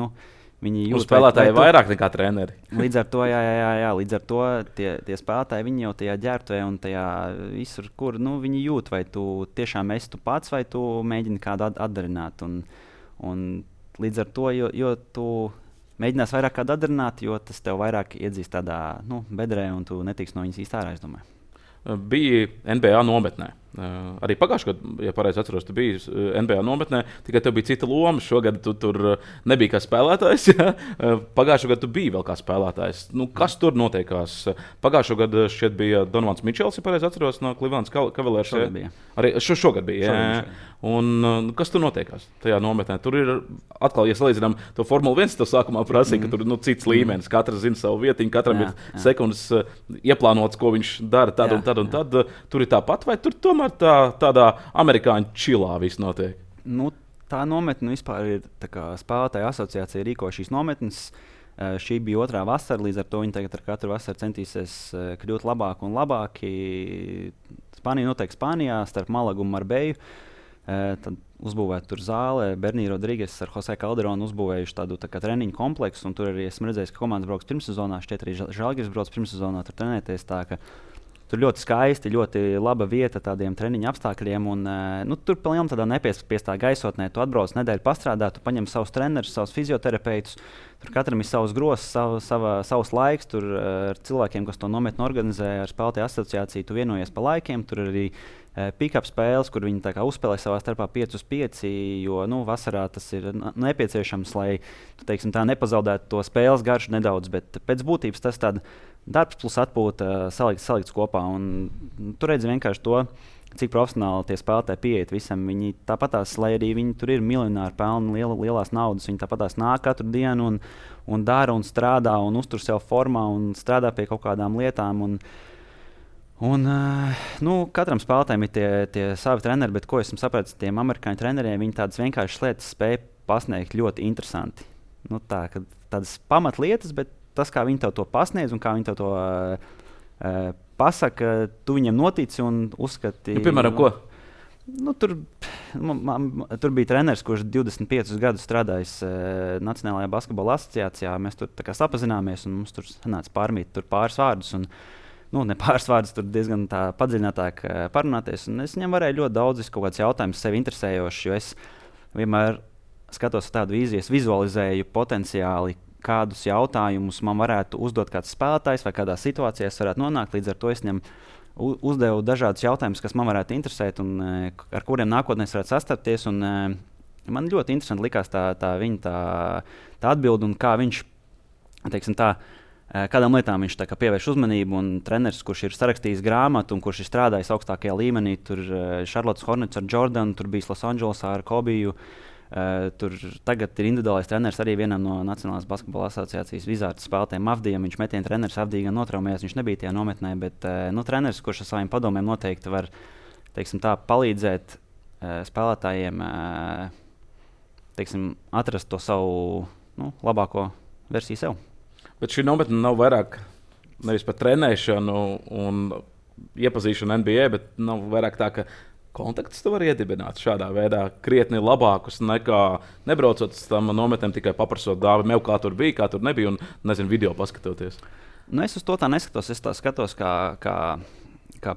Viņi jūt, spēlētāji vairāk nekā treneri. Līdz ar to, līdz ar to tie spēlētāji, viņi jau tajā ģērbtuvē un tajā visur, kur viņi jūt, vai tu tiešām esi tu pats, vai tu mēģini kādu atdarināt. Un līdz ar to, jo tu mēģinās vairāk kādu atdarināt, jo tas tev vairāk iedzīs tādā bedrē, un tu netiks no viņas īsti ārā, es domāju. Bija NBA nometnē. Arī pagājušajā gadā, ja pareizi atceros, tu biji NBA nometnē, tikai tev bija cita loma. Šogad tu tur nebija kā spēlētājs. Ja? Pagājušajā gadā tu biji vēl kā spēlētājs. Kas tur notiekās? Pagājušajā gadā šķiet bija Donovans Mičels, ja pareizi atceros, no Cleveland Cavaliers. Šogad bija. Arī šogad bija. Un kas tur notiekās tajā nometnē? Tur ir atkal, ja salīdzinām to Formuli 1, to sākumā prasīja, ka tur ir cits līmenis. Katrs zina savu vietiņu, katram ir sekundes ieplānots, ko viņš dara tad un tad. Tur ir tāpat, vai tur tomēr tādā amerikāņu čilā viss notiek? Tā nometne vispār ir spēlētāju asociācija rīko šīs nometnes. Šī bija otrā vasara, līdz ar to viņi tagad ar katru vasaru centīsies kļūt labāk un labāki. Spānija noteikti Spānijā, starp Malagu un Marbeju. Tad uzbūvēta tur zāle. Bernija Rodrīgas ar Jose Calderonu uzbūvējuši tādu treniņu kompleksu. Tur arī esmu redzējis, ka komandas brauks pirmssezonā. Šķiet, arī Žalgiris brauc pirmssezonā tur trenēties. Tur ļoti skaisti, ļoti laba vieta tādiem treniņu apstākļiem. Tur pilnīgi tādā nepiespiestā gaisotnē. Tu atbrauc nedēļu pastrādāt, tu paņem savus trenerus, savus fizioterapeitus. Tur katram ir savs grozs, savs laiks. Tur ar cilvēkiem, kas to nometni organizē, ar spēlētāju asociāciju, tu vienojies pa laikiem. Tur arī pick-up spēles, kur viņi uzspēlē savā starpā 5-5, jo vasarā tas ir nepieciešams, lai tu, teiksim, tā nepazaudētu to spēles garšu nedaudz. Bet pēc būtības tas ir darbs plus atpūta salikts kopā. Tur redz vienkārši to, cik profesionāli tie spēlētāji pieiet visam. Viņi tāpatās, lai arī viņi tur ir miljonāri, pelna lielās naudas, viņi tāpatās nāk katru dienu un dara un strādā un uztur sev formā un strādā pie kaut kādām lietām. Katram spēlētājam ir tie savi treneri, bet ko esmu sapratis, tiem amerikāņu treneriem, viņi tādas vienkāršas lietas spēj pasniegt ļoti interesanti. Tādas pamatlietas, bet tas, kā viņi tev to pasniedz un kā viņi tev to pasaka, tu viņam notici un uzskati. Piemēram, ko? Tur bija treneris, kurš 25 gadus strādājis Nacionālajā basketbola asociācijā. Mēs tur sapazināmies un mums tur sanāca pārmīt pāris vārdus. Ne pāris vārdus, tur diezgan padziļinātāk parunāties. Es viņam varēju ļoti daudz kaut kādus jautājumus sevi interesējošus, jo es vienmēr skatos tādu vīziju, es vizualizēju potenciāli, kādus jautājumus man varētu uzdot kāds spēlētājs vai kādā situācijā es varētu nonākt. Līdz ar to es viņam uzdevu dažādus jautājumus, kas man varētu interesēt un ar kuriem nākotnē es varētu sastapties. Man ļoti interesanti likās tā viņa atbilde un kā viņš, teiksim tā, kādām lietām viņš pievērš uzmanību. Un treneris, kurš ir sarakstījis grāmatu un kurš ir strādājis augstākajā līmenī, tur Charlottes Hornets ar Jordanu, tur bijis Losandželosā ar Kobiju. Tur tagad ir individuālais treneris arī vienam no Nacionālās basketbola asociācijas Vizārdas spēlētājiem Avdijam. Viņš metiena treneris Avdija gan notraumējās, viņš nebija tajā nometnē, bet treneris, kurš ar saviem padomiem noteikti var, teiksim tā, palīdzēt spēlētājiem atrast to savu labāko versiju sev. Bet šī nometne nav vairāk nevis par trenēšanu un iepazīšanu NBA, bet nav vairāk tā, ka kontaktus tu vari iedibināt šādā veidā krietni labākus nekā nebraucot uz tam nometnēm, tikai paprasot dāvi, kā tur bija, kā tur nebija un video paskatoties. Es uz to tā neskatos. Es tā skatos kā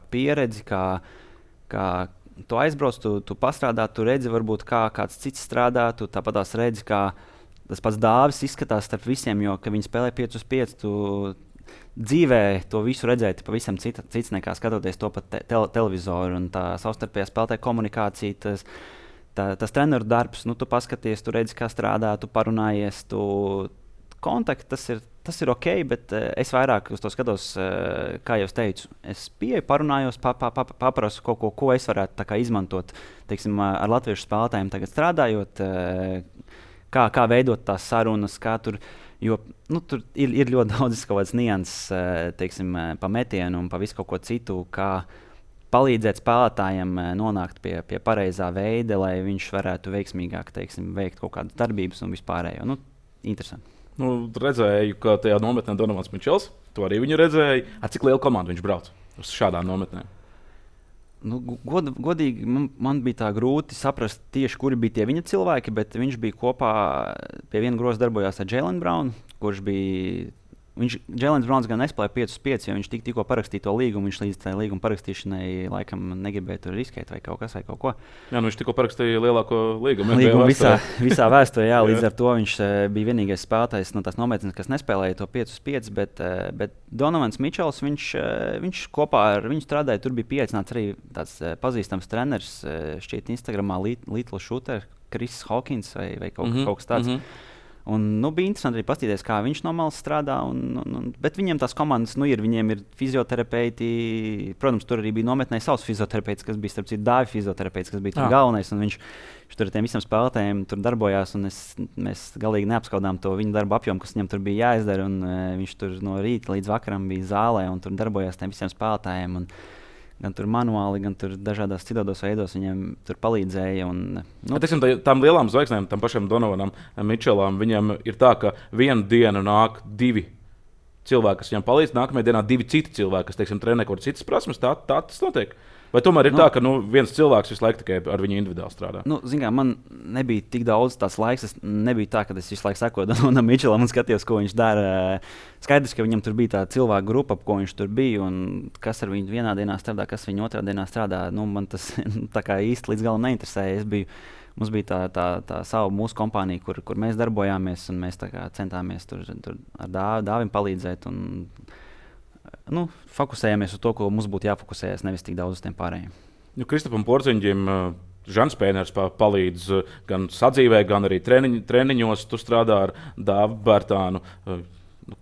pieredzi, kā tu aizbrauc, tu pastrādā, tu redzi, varbūt kā kāds cits strādā, tu tāpat tās redzi, kā tas pats Dāvis izskatās starp visiem, jo, kad viņi spēlē 5-5, tu dzīvē to visu redzēt pavisam cits nekā skatoties to pa televizoru. Un tā savstarpējā spēlētāja komunikācija, tas treneru darbs, tu paskaties, tu redzi, kā strādā, tu parunājies, kontakti, tas ir ok, bet es vairāk uz to skatos, kā jau teicu. Es pieeju, parunājos, paprasu kaut ko es varētu izmantot, teiksim, ar latviešu spēlētājiem tagad strādājot, kā veidot tās sarunas, kā tur. Jo tur ir ļoti daudz kaut kādas nianses, teiksim, pa metienu un pa visu kaut ko citu, kā palīdzēt spēlētājiem nonākt pie pareizā veida, lai viņš varētu veiksmīgāk, teiksim, veikt kaut kādas darbības un vispārējo. Interesanti. Redzēju, ka tajā nometnē Donovans Mičels, to arī viņu redzēju. Ar cik lielu komandu viņš brauc uz šādām nometnēm? Nu, godīgi, man bija tā grūti saprast tieši, kuri bija tie viņa cilvēki, bet viņš bija kopā pie viena groza darbojās ar Jaylen Brownu, kurš bija. Jēlens Browns gan nespēlēja 5-5, jo viņš tikko parakstīja to līgumu. Viņš līdz tam līguma parakstīšanai laikam negribēja tur riskēt vai kaut ko. Jā, viņš tikko parakstīja lielāko līgumu. Visā vēsturē, jā, līdz ar to viņš bija vienīgais spēlētājs no tās nometnes, kas nespēlēja to 5-5. Bet Donovans Mičels, viņš kopā ar viņu strādāja. Tur bija pieaicināts arī tāds pazīstams treneris, šķiet Instagramā Little Shooter, Chris Hawkins vai kaut kas tāds. Un, bija interesanti arī paskatīties, kā viņš no malas strādā. Bet viņiem tās komandas viņiem ir fizioterapeiti. Protams, tur arī bija nometnē savs fizioterapeits, kas bija starp citu Dāvi fizioterapeits, kas bija tur galvenais. Viņš tur ar tiem visiem spēlētājiem tur darbojās. Mēs galīgi neapskaudām to viņa darba apjomu, kas viņam tur bija jāizdara. Viņš tur no rīta līdz vakaram bija zālē un tur darbojās tiem visiem spēlētājiem. Gan tur manuāli, gan tur dažādos citādos veidos viņiem tur palīdzēja. Tām lielām zvaigznēm, tam pašam Donovanam Mičelam, viņam ir tā, ka vienu dienu nāk 2 cilvēki, kas viņam palīdz, nākamajā dienā 2 citi cilvēki, kas, teiksim, trenē kaut kādas citas prasmes. Tā tas notiek. Vai tomēr ir tā, ka viens cilvēks visu laiku tikai ar viņu individuāli strādā? Zin kā, man nebija tik daudz tās laiks. Es nebija tā, ka es visu laiku sekoju Donovanam Mičelam un skatījos, ko viņš dara. Skaidrs, ka viņam tur bija tā cilvēku grupa, ap ko viņš tur bija. Un kas ar viņu vienā dienā strādā, kas viņu otrā dienā strādā. Man tas tā kā īsti līdz galam neinteresēja. Mums bija tā sava mūsu kompānija, kur mēs darbojāmies. Un mēs centāmies tur ar Dāvim palīdzēt. Fokusējamies uz to, ko mums būtu jāfokusējas, nevis tik daudz uz tiem pārējiem. Kristapam Porziņģim Žans Pēners palīdz gan sadzīvē, gan arī treniņos. Tu strādā ar Dāvu Bērtānu.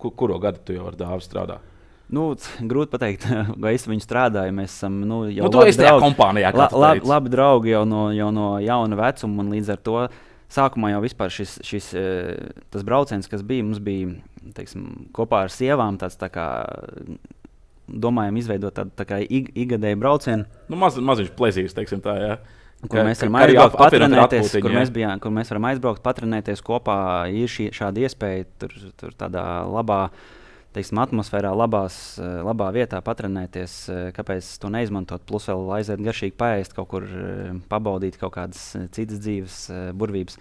Kuro gadu tu jau ar Dāvu strādā? Grūti pateikt, vai es viņu strādāju. Mēs esam jau labi draugi jau no jauna vecuma, un līdz ar to sākumā jau vispār tas brauciens, kas bija, mums bija, teiksim, kopā ar sievām tāds tā kā domājam izveidot tādu tā kā ikgadēju braucienu. Maziņš plezīgs, teiksim tā, jā. Kur mēs varam aizbraukt patrenēties, kur mēs varam aizbraukt patrenēties kopā. Ir šāda iespēja tur tādā labā, teiksim, atmosfērā, labā vietā patrenēties. Kāpēc to neizmantot? Plus vēl aiziet garšīgi paēst, kaut kur pabaudīt kaut kādas citas dzīves burvības.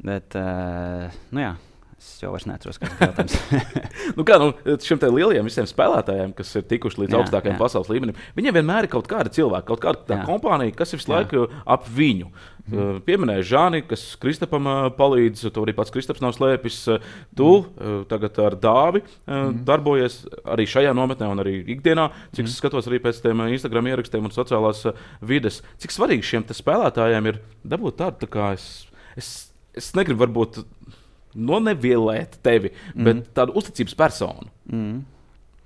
Bet, jā. Es jau vairs neatceros, kāds ir jautājums. Šiem lielajiem visiem spēlētājiem, kas ir tikuši līdz augstākajam pasaules līmenim, viņiem vienmēr ir kaut kāda cilvēka, kaut kāda kompānija, kas ir visu laiku ap viņu. Pieminēja Žāni, kas Kristapam palīdz, to arī pats Kristaps nav slēpis. Tu tagad ar Dāvi darbojies arī šajā nometnē un arī ikdienā, cik es skatos arī pēc tiem Instagram ierakstiem un sociālās vides. Cik svarīgi šiem spēlētājiem ir dabūt tādu, tā kā es negribu varbūt nevielēt tevi, bet tādu uzticības personu.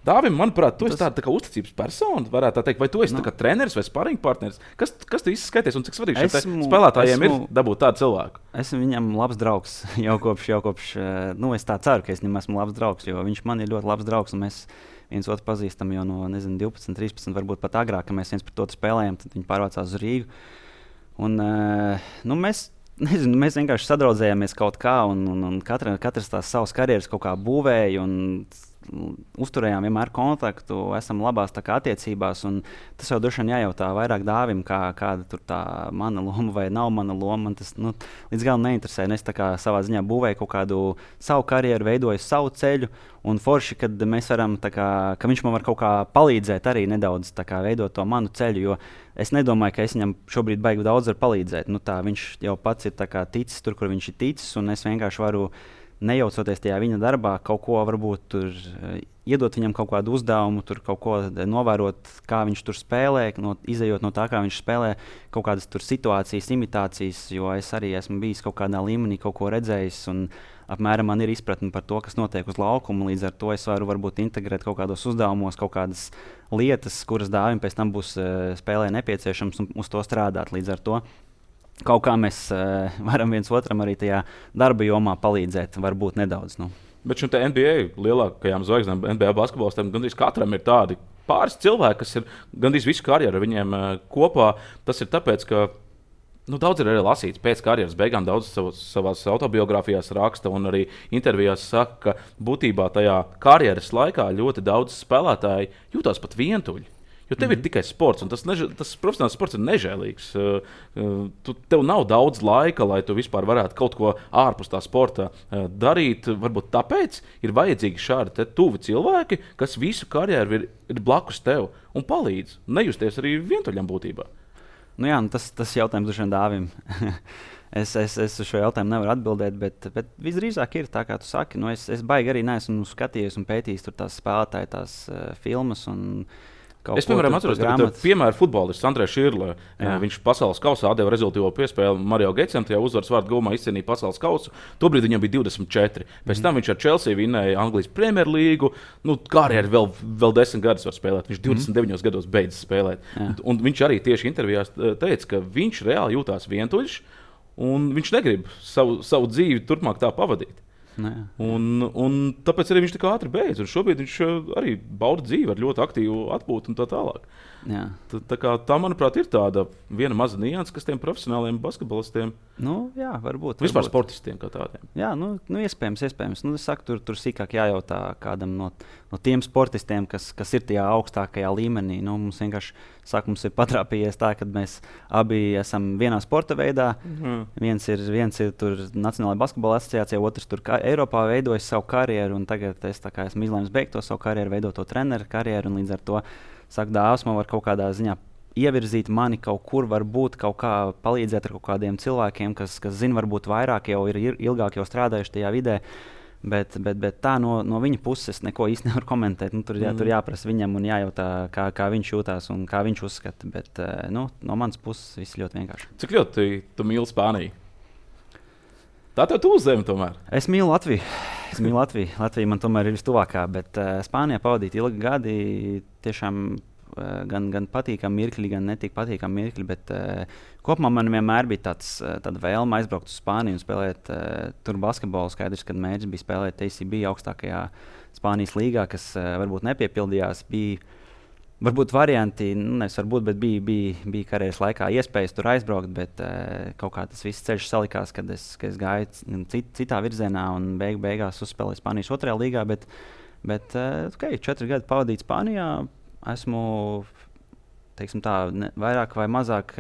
Dāvim, manuprāt, tu esi tāda tā kā uzticības persona, varētu tā teikt, vai tu esi tā kā treneris vai sparring partneris? Kas tu īsti skaities un cik svarīgi šiem spēlētājiem ir dabūt tādu cilvēku? Esmu viņam labs draugs jau kopš es tā ceru, ka es viņam esmu labs draugs, jo viņš man ir ļoti labs draugs un mēs viens otru pazīstam jau no 12, 13, varbūt pat agrāk, ka mēs viens pret otru spēlējam, tad viņi pārvācās uz Rīgu. Un mēs vienkārši sadraudzējāmies kaut kā, un katrs tās savas karjeras kaut kā būvēja, un uzturējām vienmēr kontaktu, esam labās attiecībās. Tas jau droši vien jājautā vairāk Dāvim, kāda tur tā mana loma vai nav mana loma. Man tas līdz galam neinteresē. Es savā ziņā būvēju kaut kādu savu karjeru, veidoju savu ceļu. Un forši, kad mēs varam, ka viņš man var kaut kā palīdzēt arī nedaudz veidot to manu ceļu. Jo es nedomāju, ka es viņam šobrīd baigi daudz varu palīdzēt. Viņš jau pats ir ticis tur, kur viņš ir ticis, un es vienkārši varu nejaucoties tajā viņa darbā, kaut ko varbūt tur iedot viņam kaut kādu uzdevumu, tur kaut ko novērot, kā viņš tur spēlē, izejot no tā, kā viņš spēlē, kaut kādas tur situācijas, imitācijas, jo es arī esmu bijis kaut kādā līmenī, kaut ko redzējis, un apmēram man ir izpratne par to, kas notiek uz laukuma, līdz ar to es varu varbūt integrēt kaut kādos uzdevumos, kaut kādas lietas, kuras Dāvim pēc tam būs spēlē nepieciešams un uz to strādāt. Līdz ar to kaut kā mēs varam viens otram arī tajā darba jomā palīdzēt, varbūt nedaudz. Bet šim NBA lielākajām zvaigznēm, NBA basketbolistiem, gandrīz katram ir tādi pāris cilvēki, kas ir gandrīz visu karjeru viņiem kopā. Tas ir tāpēc, ka daudz ir arī lasīts pēc karjeras beigām, daudz savās autobiogrāfijās raksta un arī intervijās saka, ka būtībā tajā karjeras laikā ļoti daudz spēlētāji jūtās pat vientuļi. Jo tev ir tikai sports, un tas profesionāls sports ir nežēlīgs. Tev nav daudz laika, lai tu vispār varētu kaut ko ārpus tā sporta darīt. Varbūt tāpēc ir vajadzīgi šādi tuvi cilvēki, kas visu karjeru ir blakus tev un palīdz nejusties arī vientuļam būtībā. Nu jā, tas jautājums droši vien Dāvim. Es uz šo jautājumu nevaru atbildēt, bet visdrīzāk ir tā, kā tu saki. Nu, es baigi arī neesmu skatījies un pētījis tās spēlētāju tās filmas. Es, piemēram, atceros, ka piemēram futbolists Andrejs Širle. Viņš pasaules kausā atdeva rezultātu piespēli Mario Getsam, tajā uzvaras vārdu gūmā izcīnīja pasaules kausu. Tobrīd viņam bija 24. Pēc tam viņš ar Chelsea vinnēja Anglijas Premjerlīgu. Karjeru vēl 10 gadus var spēlēt. Viņš 29 gados beidz spēlēt. Un viņš arī tieši intervijās teica, ka viņš reāli jūtās vientuļš un viņš negrib savu dzīvi turpmāk tā pavadīt. Un tāpēc arī viņš tik ātri beidz. Šobrīd viņš arī bauda dzīvi ar ļoti aktīvu atpūtu un tā tālāk. Tā, manuprāt, ir tāda viena maza nianse, kas tiem profesionāliem basketbolistiem, varbūt vispār sportistiem kā tādiem. Jā, iespējams. Es saku, tur sīkāk jājautā kādam no tiem sportistiem, kas ir tajā augstākajā līmenī. Mums vienkārši mums ir patrāpījies tā, ka mēs abi esam vienā sporta veidā. Viens ir tur Nacionālajā basketbola asociācijā, otrs tur Eiropā veidojas savu karjeru. Tagad es esmu izlēmis beigt to savu karjeru, veidot to treneru karjeru. Līdz ar to saka, Dāvs man var kaut kādā ziņā ievirzīt mani kaut kur, varbūt kaut kā palīdzēt ar kaut kādiem cilvēkiem, kas zina, varbūt vairāk jau ir ilgāk jau strādājuši tajā vidē. Bet tā no viņa puses neko īsti nevar komentēt. Tur jāprasa viņam un jājautā, kā viņš jūtās un kā viņš uzskata. Bet no manas puses viss ļoti vienkārši. Cik ļoti tu mīli Spāniju? Tā tev tuvu zeme tomēr. Es mīlu Latviju. Latvija man tomēr ir vistuvākā, bet Spānijā pavadīt ilgi gadi tiešām gan patīkami mirkļi, gan netik patīkami mirkļi. Bet kopumā man vienmēr bija tāda vēlme aizbraukt uz Spāniju un spēlēt tur basketbolu. Skaidrs, kad mērķis bija spēlēt ACB augstākajā Spānijas līgā, kas varbūt nepiepildījās. Bija varbūt varianti, bet bija karjeras laikā iespējas tur aizbraukt, bet kaut kā tas viss ceļš salikās, kad es gāju citā virzienā un beigās uzspēlēju Spānijas otrajā līgā. Bet 4 gadi pavadīt Spānijā, esmu vairāk vai mazāk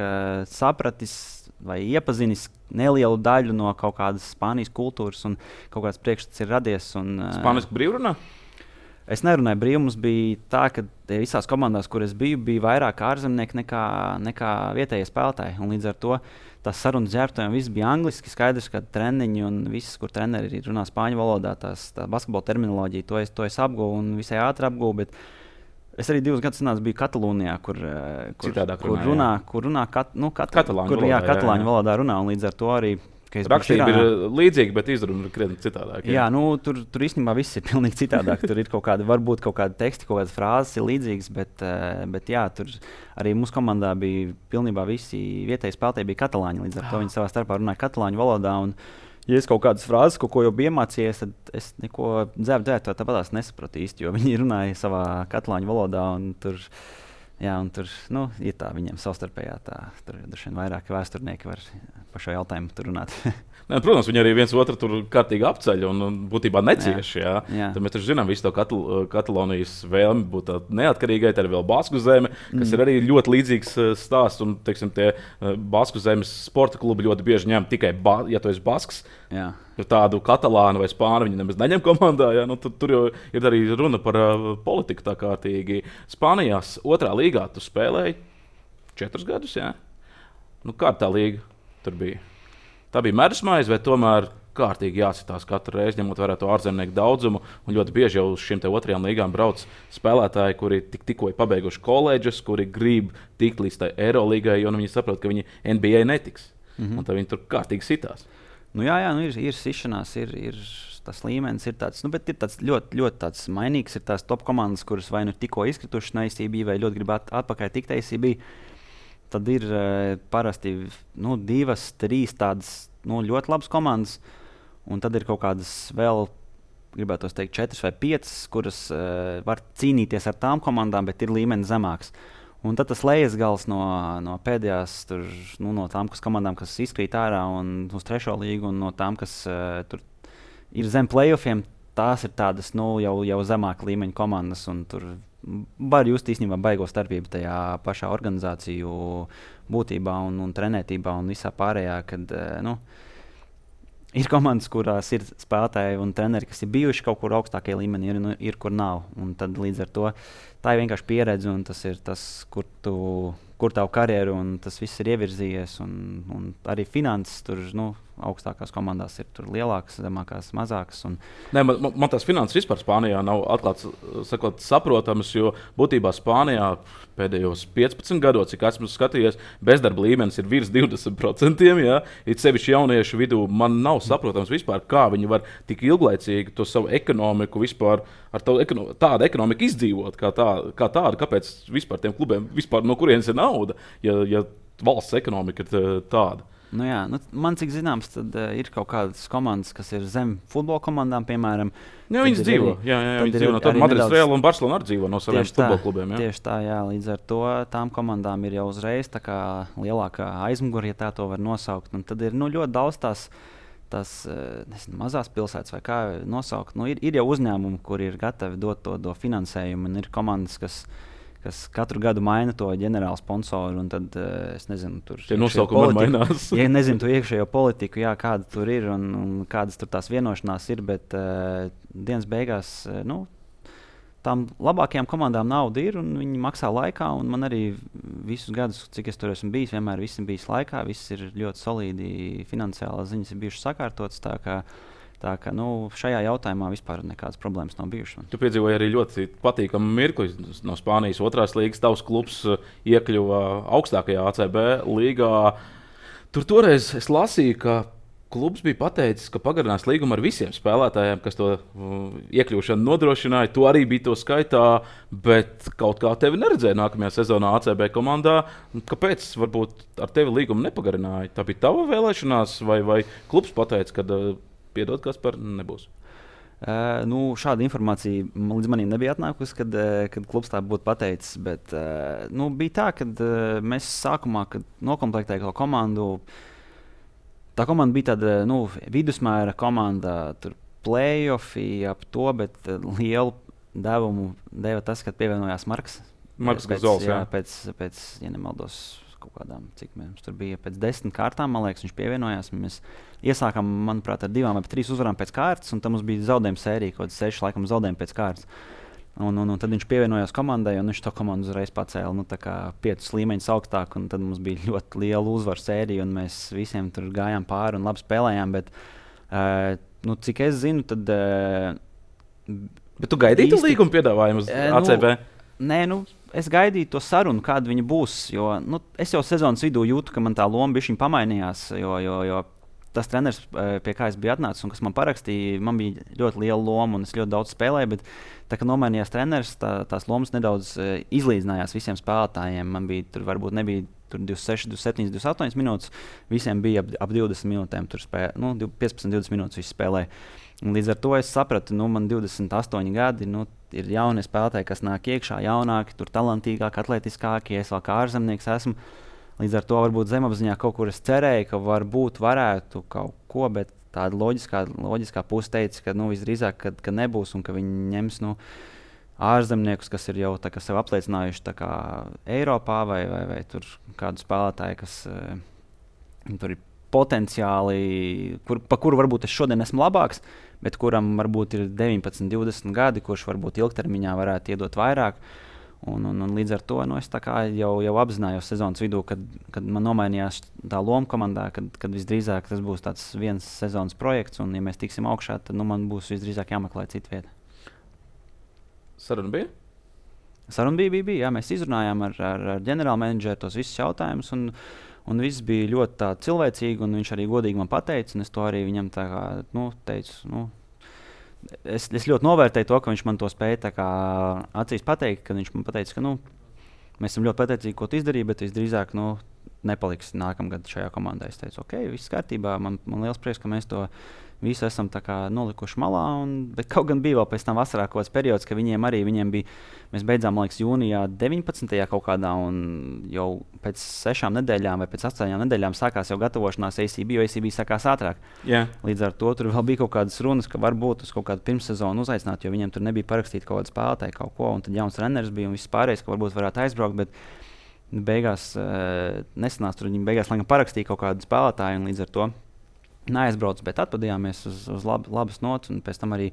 sapratis vai iepazinis nelielu daļu no kaut kādas Spānijas kultūras un kaut kāds priekšstats ir radies. Spāniski brīvrunā? Es nerunāju brīvi. Mums bija tā, ka visās komandās, kur es biju, bija vairāk ārzemnieki nekā vietējie spēlētāji. Un līdz ar to tās sarunas ģērbtuviem viss bija angliski. Skaidrs, ka treniņi un viss, kur treneri runā spāņu valodā, tā basketbola terminoloģija, to es apguvu un visai ātri apguvu. Bet es arī 2 gadus biju Katalūnijā, kur runā katalāņu valodā runā. Un līdz ar to arī rakstība ir līdzīga, bet izruna ir krietni citādāk. Jā, tur īstenībā viss ir pilnīgi citādāk. Tur ir varbūt kaut kādi teksti, kaut kādas frāzes ir līdzīgas, bet jā, tur arī mūsu komandā bija pilnībā visi vietēji spēlētāji bija katalāņi. Līdz ar to viņi savā starpā runāja katalāņu valodā. Un, ja es kaut kādas frāzes, ko jau biju iemācījies, tad es neko dzērbu tāpatās nesapratu īsti, jo viņi runāja savā katalāņu valodā. Tur ir tā viņiem savstarpējā. Tur droši vien vairāk vēsturnieki var par šo jautājumu runāt. Protams, viņi arī viens otru tur kārtīgi apceļ un būtībā necieši. Tad mēs taču zinām visu to Katalonijas vēlmi būt neatkarīgai. Tad ir vēl Basku zeme, kas ir arī ļoti līdzīgs stāsts. Un, teiksim, tie Basku zemes sporta klubi ļoti bieži ņem tikai, ja tu esi Basks. Tādu katalānu vai spāņu viņi nemaz neņem komandā. Tur jau ir arī runa par politiku tā kārtīgi. Spānijās otrā līgā tu spēlēji 4 gadus. Kā tā līga tur bija? Tā bija medusmaize, vai tomēr kārtīgi jāsitās katru reizi, ņemot vērā to ārzemnieku daudzumu. Un ļoti bieži jau uz šīm otrajām līgām brauc spēlētāji, kuri tikko ir pabeiguši koledžas, kuri grib tikt līdz tai Eirolīgai, jo viņi saprot, ka viņi NBA netiks. Un tad viņi tur kārtīgi sitās. Ir sišanās, ir tas līmenis, ir tāds, bet ir tāds ļoti, ļoti tāds mainīgs. Ir tās top komandas, kuras vai nu tikko izkritušas no ACB, vai ļoti grib atpakaļ tikt ACB. Tad ir parasti 2, 3 tādas ļoti labas komandas, un tad ir kaut kādas vēl, gribētu teikt, 4 vai 5, kuras var cīnīties ar tām komandām, bet ir līmenis zemāks. Un tad tas lejas gals no pēdējās, no tām komandām, kas izkrīt ārā un uz 3. līgu, un no tām, kas tur ir zem playoffiem, tās ir tādas jau zemāka līmeņa komandas, un tur var just īstenībā baigo starpību tajā pašā organizāciju būtībā un trenētībā un visā pārējā, kad ir komandas, kurās ir spēlētāji un treneri, kas ir bijuši kaut kur augstākajā līmenī, ir kur nav. Un tad līdz ar to tā ir vienkārši pieredze, un tas ir tas, kur tavu karjeru, un tas viss ir ievirzījies. Un arī finanses tur, augstākās komandās ir lielākas, zemākās, mazākas. Nē, man tās finanses vispār Spānijā nav atklāts, sakot, saprotamas, jo būtībā Spānijā pēdējos 15 gados, cik esmu skatījies, bezdarba līmenis ir virs 20%. Ja? It sevišķi jauniešu vidū man nav saprotams vispār, kā viņi var tik ilglaicīgi to savu ekonomiku vispār ar tādu ekonomiku izdzīvot, kā tādu. Kāpēc vispār tiem klubiem vispār no kurienes ir nauda, ja valsts ekonomika ir tāda? Man cik zināms, tad ir kaut kādas komandas, kas ir zem futbola komandām, piemēram. Jā, viņas dzīvo. Viņi dzīvo no tāda Madrides Reāla un Barcelona arī dzīvo no saviem futbola klubiem. Tieši tā, jā. Līdz ar to tām komandām ir jau uzreiz tā kā lielākā aizmugure, ja tā to var nosaukt. Un tad ir ļoti daudz tās mazās pilsētas, vai kā nosaukt. Ir jau uzņēmumi, kuri ir gatavi dot to finansējumu, un ir komandas, kas katru gadu maina to ģenerālu sponsoru, un tad, es nezinu, tur tie nosaukumi mainās. Ja nezinu to iekšējo politiku, jā, kāda tur ir un kādas tur tās vienošanās ir, bet dienas beigās, tām labākajām komandām nauda ir, un viņi maksā laikā, un man arī visus gadus, cik es tur esmu bijis, vienmēr viss ir bijis laikā, viss ir ļoti solīdi, finansiālās ziņas ir bijušas sakārtotas, tā kā šajā jautājumā vispār nekādas problēmas nav bijušas. Tu piedzīvoji arī ļoti patīkamu mirkli no Spānijas otrās līgas. Tavs klubs iekļuva augstākajā ACB līgā. Tur toreiz es lasīju, ka klubs bija pateicis, ka pagarinās līgumu ar visiem spēlētājiem, kas to iekļūšanu nodrošināja. Tu arī biji to skaitā, bet kaut kā tevi neredzēja nākamajā sezonā ACB komandā. Kāpēc varbūt ar tevi līgumu nepagarināja? Tā bija tava vēlēšanās vai klubs pateica, ka piedod, kas par nebūs? Šāda informācija līdz manim nebija atnākusi, kad klubs tā būtu pateicis. Bet bija tā, ka mēs sākumā, kad nokomplektējām to komandu, tā komanda bija tāda vidusmēra komanda, tur play-offi ap to, bet lielu devumu deva tas, kad pievienojās Marks Gazols. Pēc, ja nemaldos, kaut kādām, cik mums tur bija pēc 10 kārtām, man liekas, viņš pievienojās. Mēs iesākām, manuprāt, ar 2 vai 3 uzvarām pēc kārtas, un tam mums bija zaudējuma sērija, kaut kāds 6 laikam zaudējumi pēc kārtas. Un tad viņš pievienojās komandai, un viņš to komandu uzreiz pacēla 5 līmeņus augstāk, un tad mums bija ļoti liela uzvaru sērija, un mēs visiem tur gājām pāri un labi spēlējām, bet cik es zinu, tad... Bet tu gaidīji līguma piedāvājumu uz ACB? Nē, es gaidīju to sarunu, kāda viņa būs. Jo, es jau sezonas vidū jūtu, ka man tā loma bišķiņ pamainījās. Jo tas treneris, pie kā es biju atnācis un kas man parakstīja, man bija ļoti liela loma un es ļoti daudz spēlēju. Bet tā kā nomainījās treneris, tās lomas nedaudz izlīdzinājās visiem spēlētājiem. Man bija tur varbūt nebija 26, 27, 28 minūtes. Visiem bija ap 20 minūtēm. 15-20 minūtes visi spēlēja. Un līdz ar to es sapratu, man 28 gadi, ir jaunie spēlētāji, kas nāk iekšā, jaunāki, tur talantīgāki, atletiskāki. Es vēl kā ārzemnieks esmu. Līdz ar to varbūt zemapziņā kaut kur es cerēju, ka varētu kaut ko, bet tāda loģiskā puse teica, ka visdrīzāk, ka nebūs un ka viņi ņems ārzemniekus, kas ir jau sev apliecinājuši Eiropā vai tur kādu spēlētāju, kas tur ir potenciāli, pa kuru varbūt es šodien esmu labāks, bet kuram varbūt ir 19, 20 gadi, kurš varbūt ilgtermiņā varētu iedot vairāk. Un līdz ar to es jau apzinājos sezonas vidū, kad man nomainījās tā loma komandā, kad visdrīzāk tas būs tāds viens sezonas projekts, un ja mēs tiksim augšā, tad man būs visdrīzāk jāmeklē cita vieta. Saruna bija? Saruna bija, jā, mēs izrunājām ar ģenerālu menedžeru tos visus jautājumus, un viss bija ļoti cilvēcīgi, un viņš arī godīgi man pateica, un es to arī viņam teicu. Es ļoti novērtēju to, ka viņš man to spēja acīs pateikt, kad viņš man pateica, ka mēs esam ļoti pateicīgi, ko tu izdarīji, bet visdrīzāk nepaliksi nākamgad šajā komandā. Es teicu, ok, viss kārtībā, man liels prieks, ka mēs to visu esam tā kā nolikuši malā, bet kaut gan bija vēl pēc tam vasarā kaut kāds periods, ka viņiem bija, mēs beidzām, man liekas, jūnijā 19. kaut kādā, un jau pēc 6 nedēļām vai pēc 8 nedēļām sākās jau gatavošanās ACB, jo ACB sākās ātrāk. Yeah. Līdz ar to tur vēl bija kaut kādas runas, ka varbūt uz kaut kādu pirmssezonu uzaicināt, jo viņiem tur nebija parakstīta kaut kāda spēlētāja kaut ko, un tad jauns treneris bija un viss pārējais, ka varbūt varētu aizbraukt, bet beigās nesanās tur, viņi beigās laikam parakstīja kaut kādu spēlētāju, un līdz ar to neaizbraucu, bet atpadījāmies uz labas nots, un pēc tam arī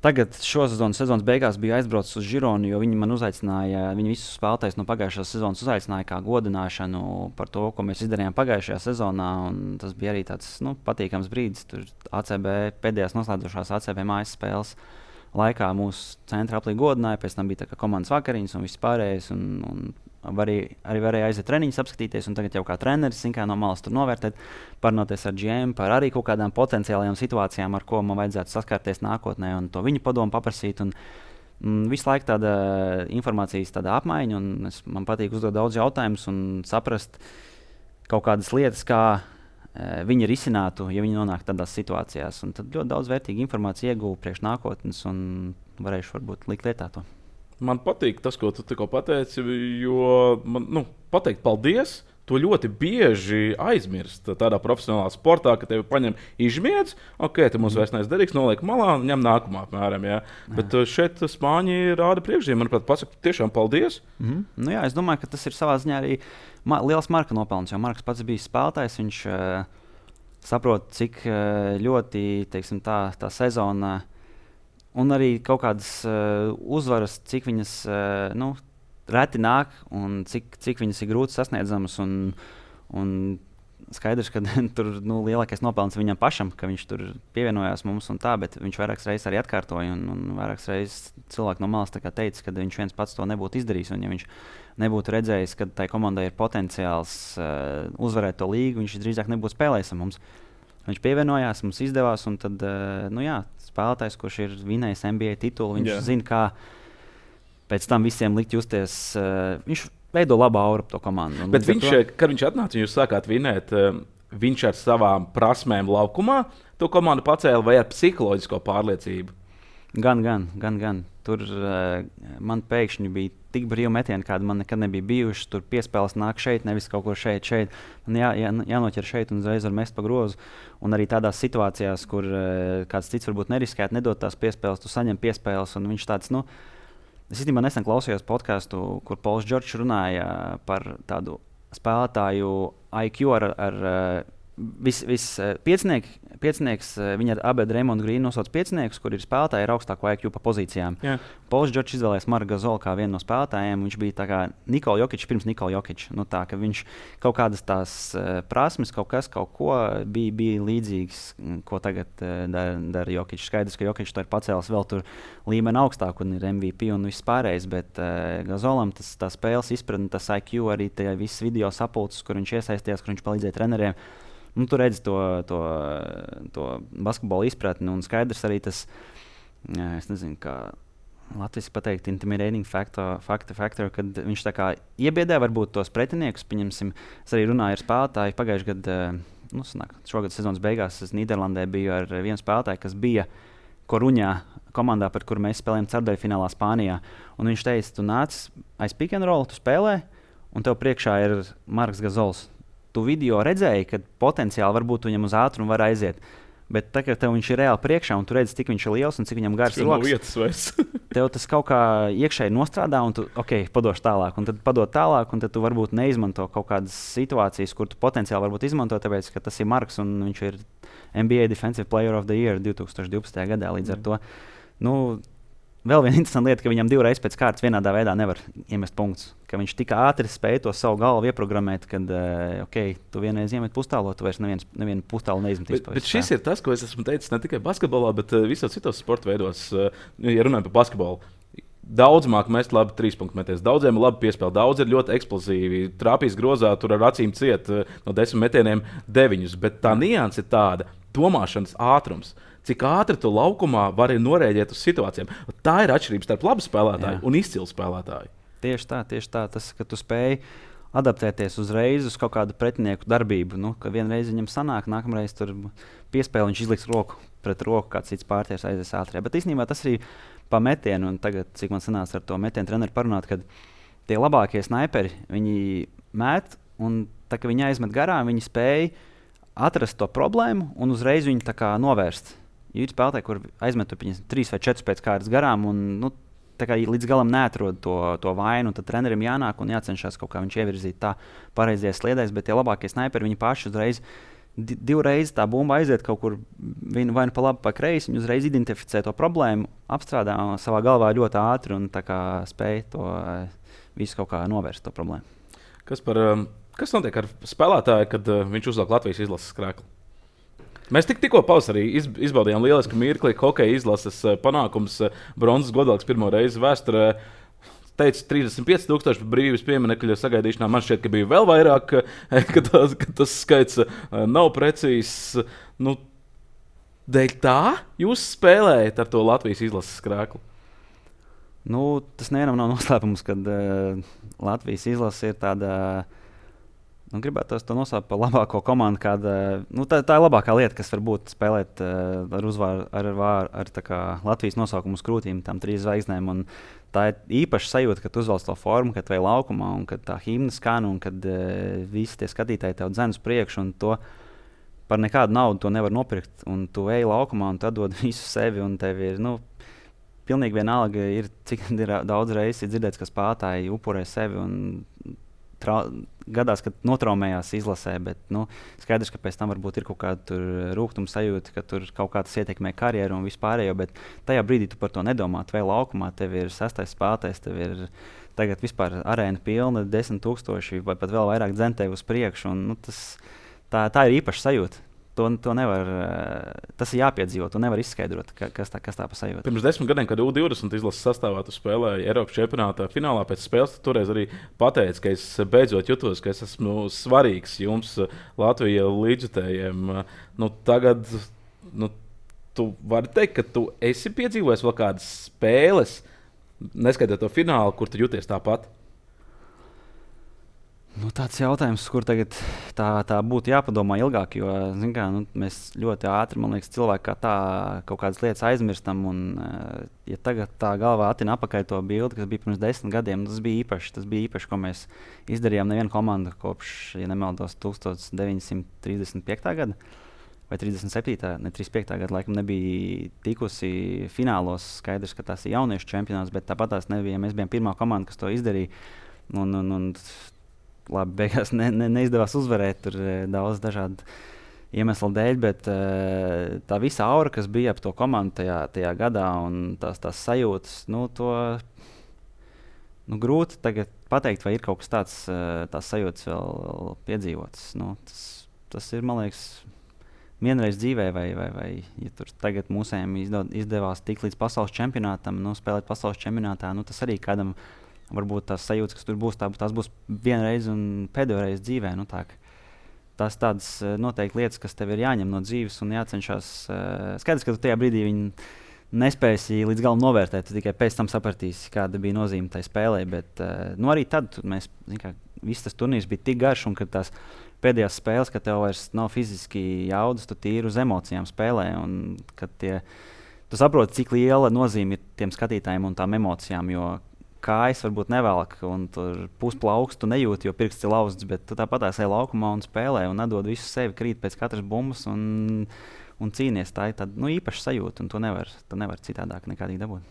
tagad šo sezonas beigās bija aizbraucis uz Žironu, jo viņi man uzaicināja, viņi visus spēlētājus no pagājušās sezonas uzaicināja kā godināšanu par to, ko mēs izdarījām pagājušajā sezonā, un tas bija arī tāds patīkams brīdis. Tur ACB pēdējās noslēdzošās ACB mājas spēles laikā mūsu centra aplī godināja, pēc tam bija tā kā komandas vakariņas un viss pārējais, un arī varēja aiziet treniņus apskatīties, un tagad jau kā treneris kā no malas tur novērtēt, parunāties ar GM par arī kaut kādām potenciālajām situācijām, ar ko man vajadzētu saskarties nākotnē, un to viņu padomu paprasīt. Visu laiku tāda informācijas apmaiņa, un man patīk uzdot daudz jautājumus un saprast kaut kādas lietas, kā viņi risinātu, ja viņi nonāk tādās situācijās. Un tad ļoti daudz vērtīgu informāciju ieguvu priekš nākotnes, un varēšu varbūt likt lietā to. Man patīk tas, ko tu tikko pateici, jo man pateikt paldies. To ļoti bieži aizmirst tādā profesionālā sportā, ka tevi paņem izmiedz, ok, te mums vairs neesmu derīgs, noliek malā un ņem nākamā apmēram. Jā. Bet šeit Spāņi rāda priekšzīmē, manuprāt, pasaka tiešām paldies. Jā, es domāju, ka tas ir savā ziņā arī liels Marka nopelns, jo Marks pats bija spēlētājs, viņš saprot, cik ļoti, teiksim, tā sezona un arī kaut kādas uzvaras, cik viņas reti nāk un cik viņas ir grūti sasniedzamas. Un skaidrs, ka tur lielākais nopelns viņam pašam, ka viņš tur pievienojās mums un tā, bet viņš vairākas reizes arī atkārtoja. Un vairākas reizes cilvēki no malas teica, ka viņš viens pats to nebūtu izdarījis. Un ja viņš nebūtu redzējis, ka tai komandai ir potenciāls uzvarēt to līgu, viņš drīzāk nebūtu spēlējis ar mums. Viņš pievienojās, mums izdevās, un tad, spēlētājs, kurš ir vinējis NBA titulu, viņš zina, kā pēc tam visiem likt justies. Viņš veido labu auru ap to komandu. Bet kad viņš atnāca un jūs sākāt vinēt, viņš ar savām prasmēm laukumā to komandu pacēla vai ar psiholoģisko pārliecību? Gan. Tur man pēkšņi bija tik brīvi metieni, kādi man nekad nebija bijuši. Tur piespēles nāk šeit, nevis kaut kur šeit. Man jānoķer šeit un uzreiz var mest pa grozu. Un arī tādās situācijās, kur kāds cits varbūt neriskētu, nedot tās piespēles, tu saņem piespēles. Un viņš tāds, es īstenībā nesen klausījos podcastu, kur Pols Džordžs runāja par tādu spēlētāju IQ ar piecinieks, viņa ar Abedu Reimondu Grīnu nosauc pieciniekus, kur ir spēlētāji ar augstāko IQ pa pozīcijām. Yeah. Pols Džordžs izvēlējās Marku Gazolu kā vienu no spēlētājiem. Viņš bija tā kā Nikola Jokičs pirms Nikola Jokiča. Tā, ka viņš kaut kādas tās prasmes, kaut ko bija līdzīgs, ko tagad dara Jokičs. Skaidrs, ka Jokičs to ir pacēlis vēl tur līmeni augstāk un ir MVP un viss pārējais, bet Gazolam tā spēles izpratne, tas IQ, arī tie visas video sapulces, kur viņš iesaistījās, kur viņš palīdzēja treneriem. Tu redzi to basketbolu izpratni, un skaidrs arī tas, es nezinu, kā Latvijas pateikt, intimidating factor, kad viņš tā kā iebiedē varbūt tos pretiniekus. Pieņemsim, es arī runāju ar spēlētāju pagājušajā gadā, šogad sezonas beigās es Nīderlandē biju ar vienu spēlētāju, kas bija Koruņā komandā, par kuru mēs spēlējām ceturdaļfinālā Spānijā. Un viņš teica, tu nāc aiz pick and roll, tu spēlē, un tev priekšā ir Marks Gazols. Tu video redzēji, ka potenciāli varbūt viņam uz ātrumu var aiziet. Bet tagad viņš ir reāli priekšā, un tu redzi, cik viņš ir liels un cik viņam gars rokas. Tev tas kaut kā iekšēji nostrādā, un tu padošu tālāk. Un tad padod tālāk, un tad tu varbūt neizmanto kaut kādas situācijas, kur tu potenciāli varbūt izmanto, tāpēc, ka tas ir Marks, un viņš ir NBA Defensive Player of the Year 2012. gadā. Līdz ar to, vēl viena interesanta lieta, ka viņam divreiz pēc kārtas vienādā veidā nevar iemest punktus. Ka viņš tik ātri spēja to savu galvu ieprogrammēt, kad tu vienreiz iemet pustālo, tu vairs nevienu pustālu neizmetīs. Bet šis ir tas, ko es esmu teicis ne tikai basketbolā, bet visos citos sporta veidos, ja runājam par basketbolu. Daudz māk mest labi 3-punktu metienus, daudziem ir labi piespēle, daudz ir ļoti eksplozīvi. Trāpīs grozā, tur ar acīm ciet no 10 metieniem 9, bet tā nianse ir tāda domāšanas ātrums. Cik ātri tu laukumā vari norēģēt uz situācijām. Tā ir atšķirība starp labu spēlētāju un izcilu spēlētāju. Tieši tā. Tas, ka tu spēj adaptēties uzreiz uz kaut kādu pretinieku darbību. Nu, ka vienreiz viņam sanāk, nākamreiz tur piespēle, viņš izliks roku pret roku, kāds cits pārties aizies ātrāk. Bet īstenībā tas arī pa metienu, un tagad, cik man sanāca ar to metienu treneri parunāt, kad tie labākie snaiperi, viņi met, un tā kā viņi aizmet garām, viņi spēja atrast to problēmu un uzreiz viņu tā kā novērst. Ir spēlētāji, kur aizmet 3 vai 4 pēc kārtas garām, un nu, tā kā līdz galam neatrod to vainu, tad trenerim jānāk un jācenšas kaut kā viņš ievirzīt tā pareizajās sliedēs, bet tie labākie snaiperi, viņi paši uzreiz divreiz tā bumba aiziet kaut kur vai nu pa labi, pa kreisi, viņi uzreiz identificē to problēmu, apstrādā savā galvā ļoti ātri un tā kā spēj to visu kaut kā novērst to problēmu. Kas notiek ar spēlētāju, kad viņš uzliek Latvijas izlases krēklu? Mēs tikko pavasarī izbaudījām lielisku mirkli, hokeja izlases panākums, bronzas godalgs pirmo reizi vēsturē. Teica, 35,000 brīvības pieminekļu sagaidīšanā. Man šķiet, ka bija vēl vairāk, ka tas skaits nav precīzs. Nu, dēļ tā jūs spēlējat ar to Latvijas izlases krēklu? Nu, tas nevienam nav noslēpums, kad Latvijas izlase ir tāda. Gribētu to nosaukt par labāko komandu. Tā ir labākā lieta, kas var būt spēlēt ar uzvaru ar Latvijas nosaukumu uz krūtīm, tām 3 zvaigznēm. Un tā ir īpaša sajūta, kad uzvelc to formu, kad vai laukumā, un kad tā himna skan, un kad visi tie skatītāji tev dzen uz priekšu. To par nekādu naudu to nevar nopirkt. Un tu ej laukumā un tu dod visu sevi. Un tev ir pilnīgi vienalga, cik daudz reizes ir dzirdēts, ka spēlētāji upurē sevi. Gadās, kad notraumējās izlasē, bet skaidrs, ka pēc tam varbūt ir kaut kāda rūgtuma sajūta, ka tur kaut kā tas ietekmē karjeru un vispārējo, bet tajā brīdī tu par to nedomā. Tu vēl laukumā, tev ir 6. spēlētājs, tev ir tagad vispār arēna pilna, 10,000 vai pat vēl vairāk dzen tevi uz priekšu. Tā ir īpaša sajūta. To nevar, tas ir jāpiedzīvot, tu nevar izskaidrot, kas tā pa sajūta. Pirms 10 gadiem, kad U20 izlases sastāvā tu spēlēji Eiropas čempionātā finālā pēc spēles, tu toreiz arī pateici, ka es beidzot jutos, ka es esmu svarīgs jums Latvijas līdzjutējiem. Tagad tu vari teikt, ka tu esi piedzīvojis vēl kādas spēles, neskaitot to finālu, kur tu jūties tāpat. Tāds jautājums, kur tagad tā būtu jāpadomā ilgāk, jo mēs ļoti ātri, man liekas, cilvēki kā tā kaut kādas lietas aizmirstam. Un, ja tagad tā galvā atina apakaļ to bildi, kas bija pirms 10 gadiem, tas bija īpaši, ko mēs izdarījām nevienu komandu kopš, ja nemaldos, 1935. gada vai 37. ne 35. gada laikam nebija tikusi finālos. Skaidrs, ka tas ir jauniešu čempionāts, bet tāpat tās nebija. Mēs bijām pirmā komanda, kas to izdarīja. Labi, beigās neizdevās uzvarēt, tur daudz dažādu iemeslu dēļ, bet tā visa aura, kas bija ap to komandu tajā gadā, un tās sajūtas, grūti tagad pateikt, vai ir kaut kas tāds, tās sajūtas vēl piedzīvotas. Tas ir, man liekas, vienreiz dzīvē, vai ja tur tagad mūsējiem izdevās tikt līdz pasaules čempionātam, spēlēt pasaules čempionātā, tas arī kādam. Varbūt tās sajūtas, kas tur būs, tās būs vienreiz un pēdējo reizi dzīvē. Tās tādas noteikti lietas, kas tev ir jāņem no dzīves un jācenšas. Skaidrs, ka tu tajā brīdī viņi nespēsi līdz galam novērtēt. Tu tikai pēc tam sapratīsi, kāda bija nozīme tai spēlē. Bet arī tad mēs, viss tas turnīrs bija tik garš, un kad tās pēdējās spēles, kad tev vairs nav fiziski jaudas, tu tīri uz emocijām spēlē. Un kad tu saproti, cik liela nozīme ir tiem skatītājiem un tām emocijām. Jo kājas varbūt nevelk, un tur pusplauks tu nejūti, jo pirksts ir lauzts, bet tu tāpat ej laukumā un spēlē un nedod visu sevi, krīt pēc katras bumbas un cīnies. Tā ir tāda īpaša sajūta, un tu nevar citādāk nekādīgi dabūt.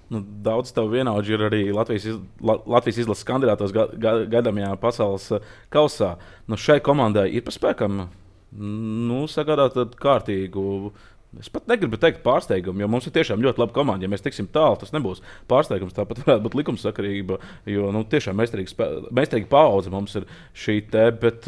Daudz tev vienaudži ir arī Latvijas izlases kandidātos gaidāmajā pasaules kausā. Šai komandai ir pa spēkam sagādāt kārtīgu. Es pat negribu teikt pārsteigumu, jo mums ir tiešām ļoti laba komanda. Ja mēs tiksim tālu, tas nebūs pārsteigums. Tāpat varētu būt likumsakarība, jo tiešām meistarīga paudze mums ir šī te. Bet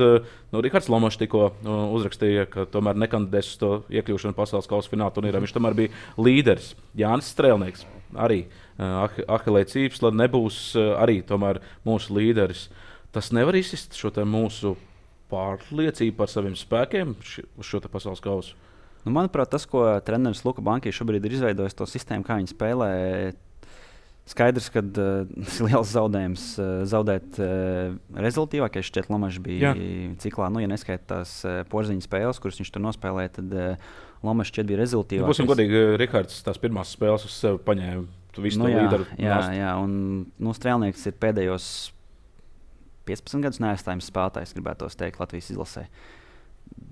Rihards Lomašs tikko uzrakstīja, ka tomēr nekandidēs uz to iekļūšanu pasaules kausa fināla turnīrā. Viņš tomēr bija līderis. Jānis Strēlnieks arī Ahilē Cīpsla nebūs arī tomēr mūsu līderis. Tas nevar izsist šo te mūsu pārliecību par saviem spēkiem uz šo te pasaules kausu. Manuprāt, tas, ko treneris Luka Banki šobrīd ir izveidojis, to sistēmu, kā viņi spēlē, Skaidrs, ka tas ir liels zaudējums zaudēt rezultātīvākais. Šķiet, Lomačs bija ciklā. Nu, ja neskaita tās porziņu spēles, kuras viņš tur nospēlēja, tad Lomačs šķiet bija rezultātīvākais. Būsim godīgi, Rihards tās pirmās spēles uz sevi paņēma. Tu visu to līderu. Jā, un Strēlnieks ir pēdējos 15 gadus neaizstājums spēlētājs, gribētos teikt, Latvijas izlasē.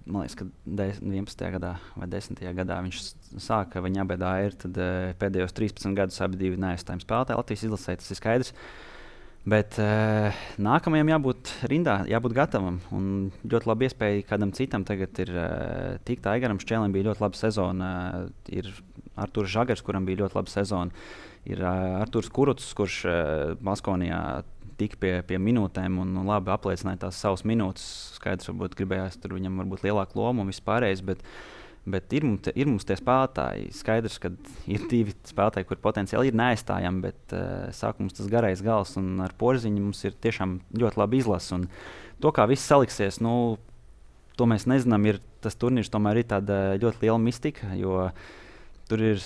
Man liekas, ka 11. gadā vai 10. gadā viņš sāka, viņa abedā ir, tad pēdējos 13 gadus abi divi neaizstājumi spēlētāji Latvijas izlasē, tas ir skaidrs. Bet nākamajam jābūt rindā, jābūt gatavam. Un ļoti labi iespēja kādam citam tagad ir tikt. Aigaram Šķēlim bija ļoti laba sezona, ir Arturs Žagars, kuram bija ļoti laba sezona, ir Arturs Kuruts, kurš Baskonijā tika pie minūtēm un labi apliecināja tās savas minūtes. Skaidrs, varbūt gribējās tur viņam varbūt lielāku lomu un vispārējais, bet ir mums tie spēlētāji. Skaidrs, ka ir divi spēlētāji, kur potenciāli ir neaizstājami, bet sāk mums tas garais gals un ar Porziņu mums ir tiešām ļoti labi izlase. Un to, kā viss saliksies, to mēs nezinām. Tas turnīrs tomēr ir tāda ļoti liela mistika, jo tur ir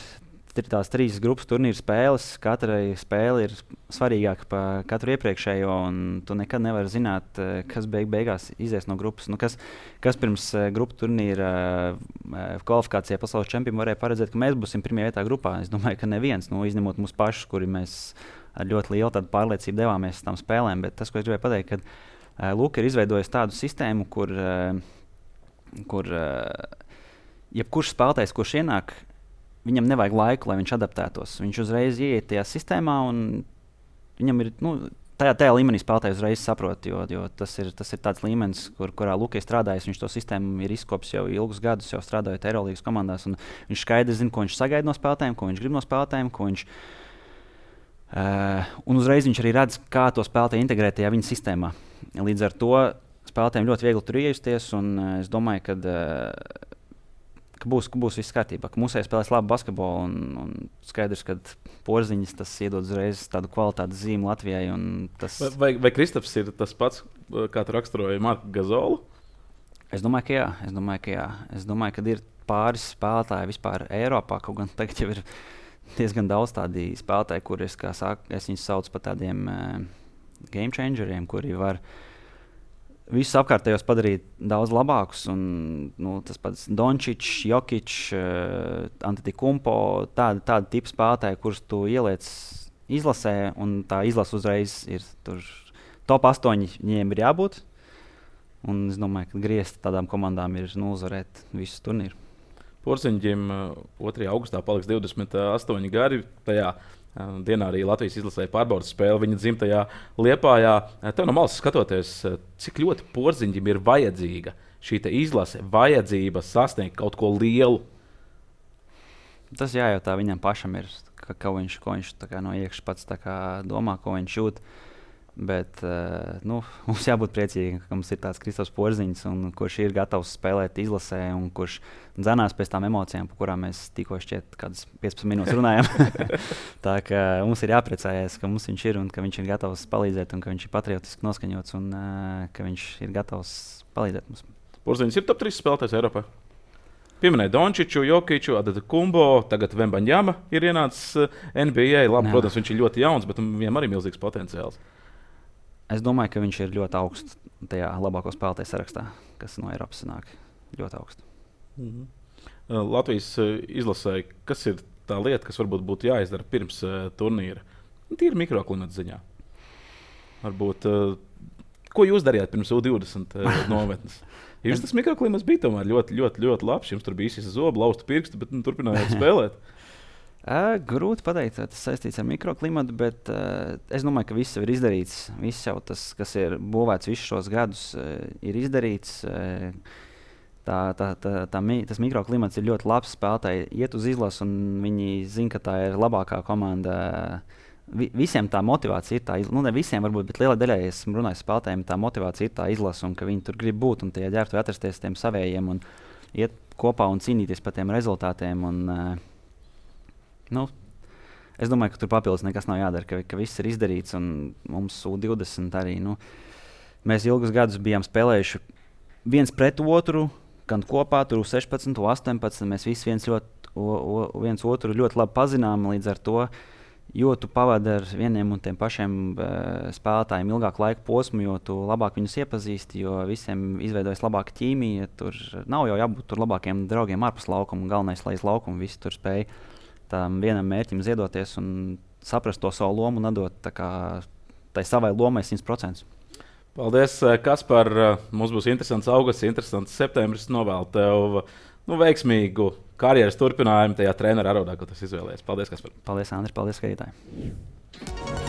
tās 3 grupas turnīra spēles. Katrai spēle ir svarīgāka par katru iepriekšējo, un tu nekad nevari zināt, kas beigās izies no grupas. Kas pirms grupu turnīra kvalifikācijā pasaules čempionam varēja paredzēt, ka mēs būsim pirmajā vietā grupā. Es domāju, ka neviens, izņemot mūsu pašus, kuri mēs ar ļoti lielu pārliecību devāmies uz tām spēlēm. Bet tas, ko es gribēju pateikt, ka Luka ir izveidojis tādu sistēmu, kur jebkurš spēlētājs, kurš ienāk, viņam nevajag laiku, lai viņš adaptētos. Viņš uzreiz ieiet tajā sistēmā, un viņam ir tajā līmenī spēlētājs uzreiz saprot, jo tas ir tāds līmenis, kurā Luka ir strādājis. Viņš to sistēmu ir izkopis jau ilgus gadus, jau strādājot Eirolīgas komandās. Viņš skaidri zina, ko viņš sagaida no spēlētājiem, ko viņš grib no spēlētājiem. Un uzreiz viņš arī redz, kā to spēlētāju integrēt tajā viņa sistēmā. Līdz ar to spēlētājiem ļoti viegli tur iejusties, un es domāju, ka būs viss kārtībā, ka mūsēji spēlēs labu basketbolu, un skaidrs, ka Porziņas tas iedod uzreiz tādu kvalitātes zīmi Latvijai. Vai Kristaps ir tas pats, kā tu raksturoji Marku Gazolu? Es domāju, ka jā. Es domāju, ka ir pāris spēlētāji vispār Eiropā, kaut gan tagad jau ir diezgan daudz tādi spēlētāji, kurus es viņus saucu par tādiem game changeriem, kuri var visus apkārtējos padarīt daudz labākus. Tas pats Dončičs, Jokičs, Antetokumpo, tādi tipi spēlētāji, kurus tu ieliec izlasē, un tā izlase uzreiz ir tur top 8 viņiem ir jābūt. Un es domāju, ka griezt tādām komandām ir uzvarēt visu turnīru. Porziņģim 2. augustā paliks 28 gadi. Tajā dienā arī Latvijas izlasēja pārbaudas spēli viņa dzimtajā Liepājā. Tev no malas skatoties, cik ļoti Porziņģim ir vajadzīga šī izlase, vajadzība sasniegt kaut ko lielu? Tas jājautā viņam pašam, ko viņš no iekšas pats domā, ko viņš jūt. Bet mums jābūt priecīgiem, ka mums ir tāds Kristaps Porziņš, kurš ir gatavs spēlēt izlasē, un kurš dzenās pēc tām emocijām, par kurām mēs tikko šķiet kādas 15 minūtes runājam. Tā kā mums ir jāpriecājas, ka mums viņš ir un ka viņš ir gatavs palīdzēt, un ka viņš ir patriotiski noskaņots, un ka viņš ir gatavs palīdzēt mums. Porziņš ir top 3 spēlētājs Eiropā. Pieminēja Dončiču, Jokiču, Antetokumpo, tagad Vembaņjama ir ienācis NBA. Labi, protams, viņš ir ļoti jauns, bet viņam arī milzīgs potenciāls. Es domāju, ka viņš ir ļoti augsts tajā labāko spēlētāju sarakstā, kas no Eiropas nāk. Ļoti augsts. Latvijas izlasē, kas ir tā lieta, kas varbūt būtu jāizdara pirms turnīra? Tīri mikroklimata ziņā. Varbūt, ko jūs darījāt pirms U20 nometnes? Jums tas mikroklimats bija tomēr ļoti, ļoti, ļoti labs. Jums tur bija īsi zobi, lausta pirksti, bet turpinājāt spēlēt. Grūti pateikt, vai tas saistīts ar mikroklimatu, bet es domāju, ka viss jau ir izdarīts. Viss jau tas, kas ir būvēts visus šos gadus, ir izdarīts. Tas mikroklimats ir ļoti labs. Spēlētāji iet uz izlasu, un viņi zina, ka tā ir labākā komanda. Visiem tā motivācija ir tā izlase. Ne visiem, varbūt, bet lielai daļai esmu runājis spēlētājiem, tā motivācija ir tā izlase, un ka viņi tur grib būt un tie ģērbtuvi atrasties tiem savējiem un iet kopā un cīnīties par tiem rezultātiem. Es domāju, ka tur papildus nekas nav jādara, ka viss ir izdarīts, un mums U20 arī. Mēs ilgus gadus bijām spēlējuši viens pret otru, gan kopā, tur 16, 18. Mēs visi viens otru ļoti labi pazinām, līdz ar to jo tu pavadi ar vieniem un tiem pašiem spēlētājiem ilgāku laiku posmu, jo tu labāk viņus iepazīsti, jo visiem izveidojas labāka ķīmija. Tur nav jau jābūt tur labākiem draugiem ārpus laukuma. Galvenais, lai iz laukuma visi tur spēj tam vienam mērķim ziedoties un saprast to savu lomu un atdot tai savai lomai 100%. Paldies, Kaspar. Mums būs interesants augusts, interesants septembris. Novēlu tev veiksmīgu karjeras turpinājumu tajā treneru arodā, ko tas izvēlējies. Paldies, Kaspar. Paldies, Andri. Paldies, skatītāji.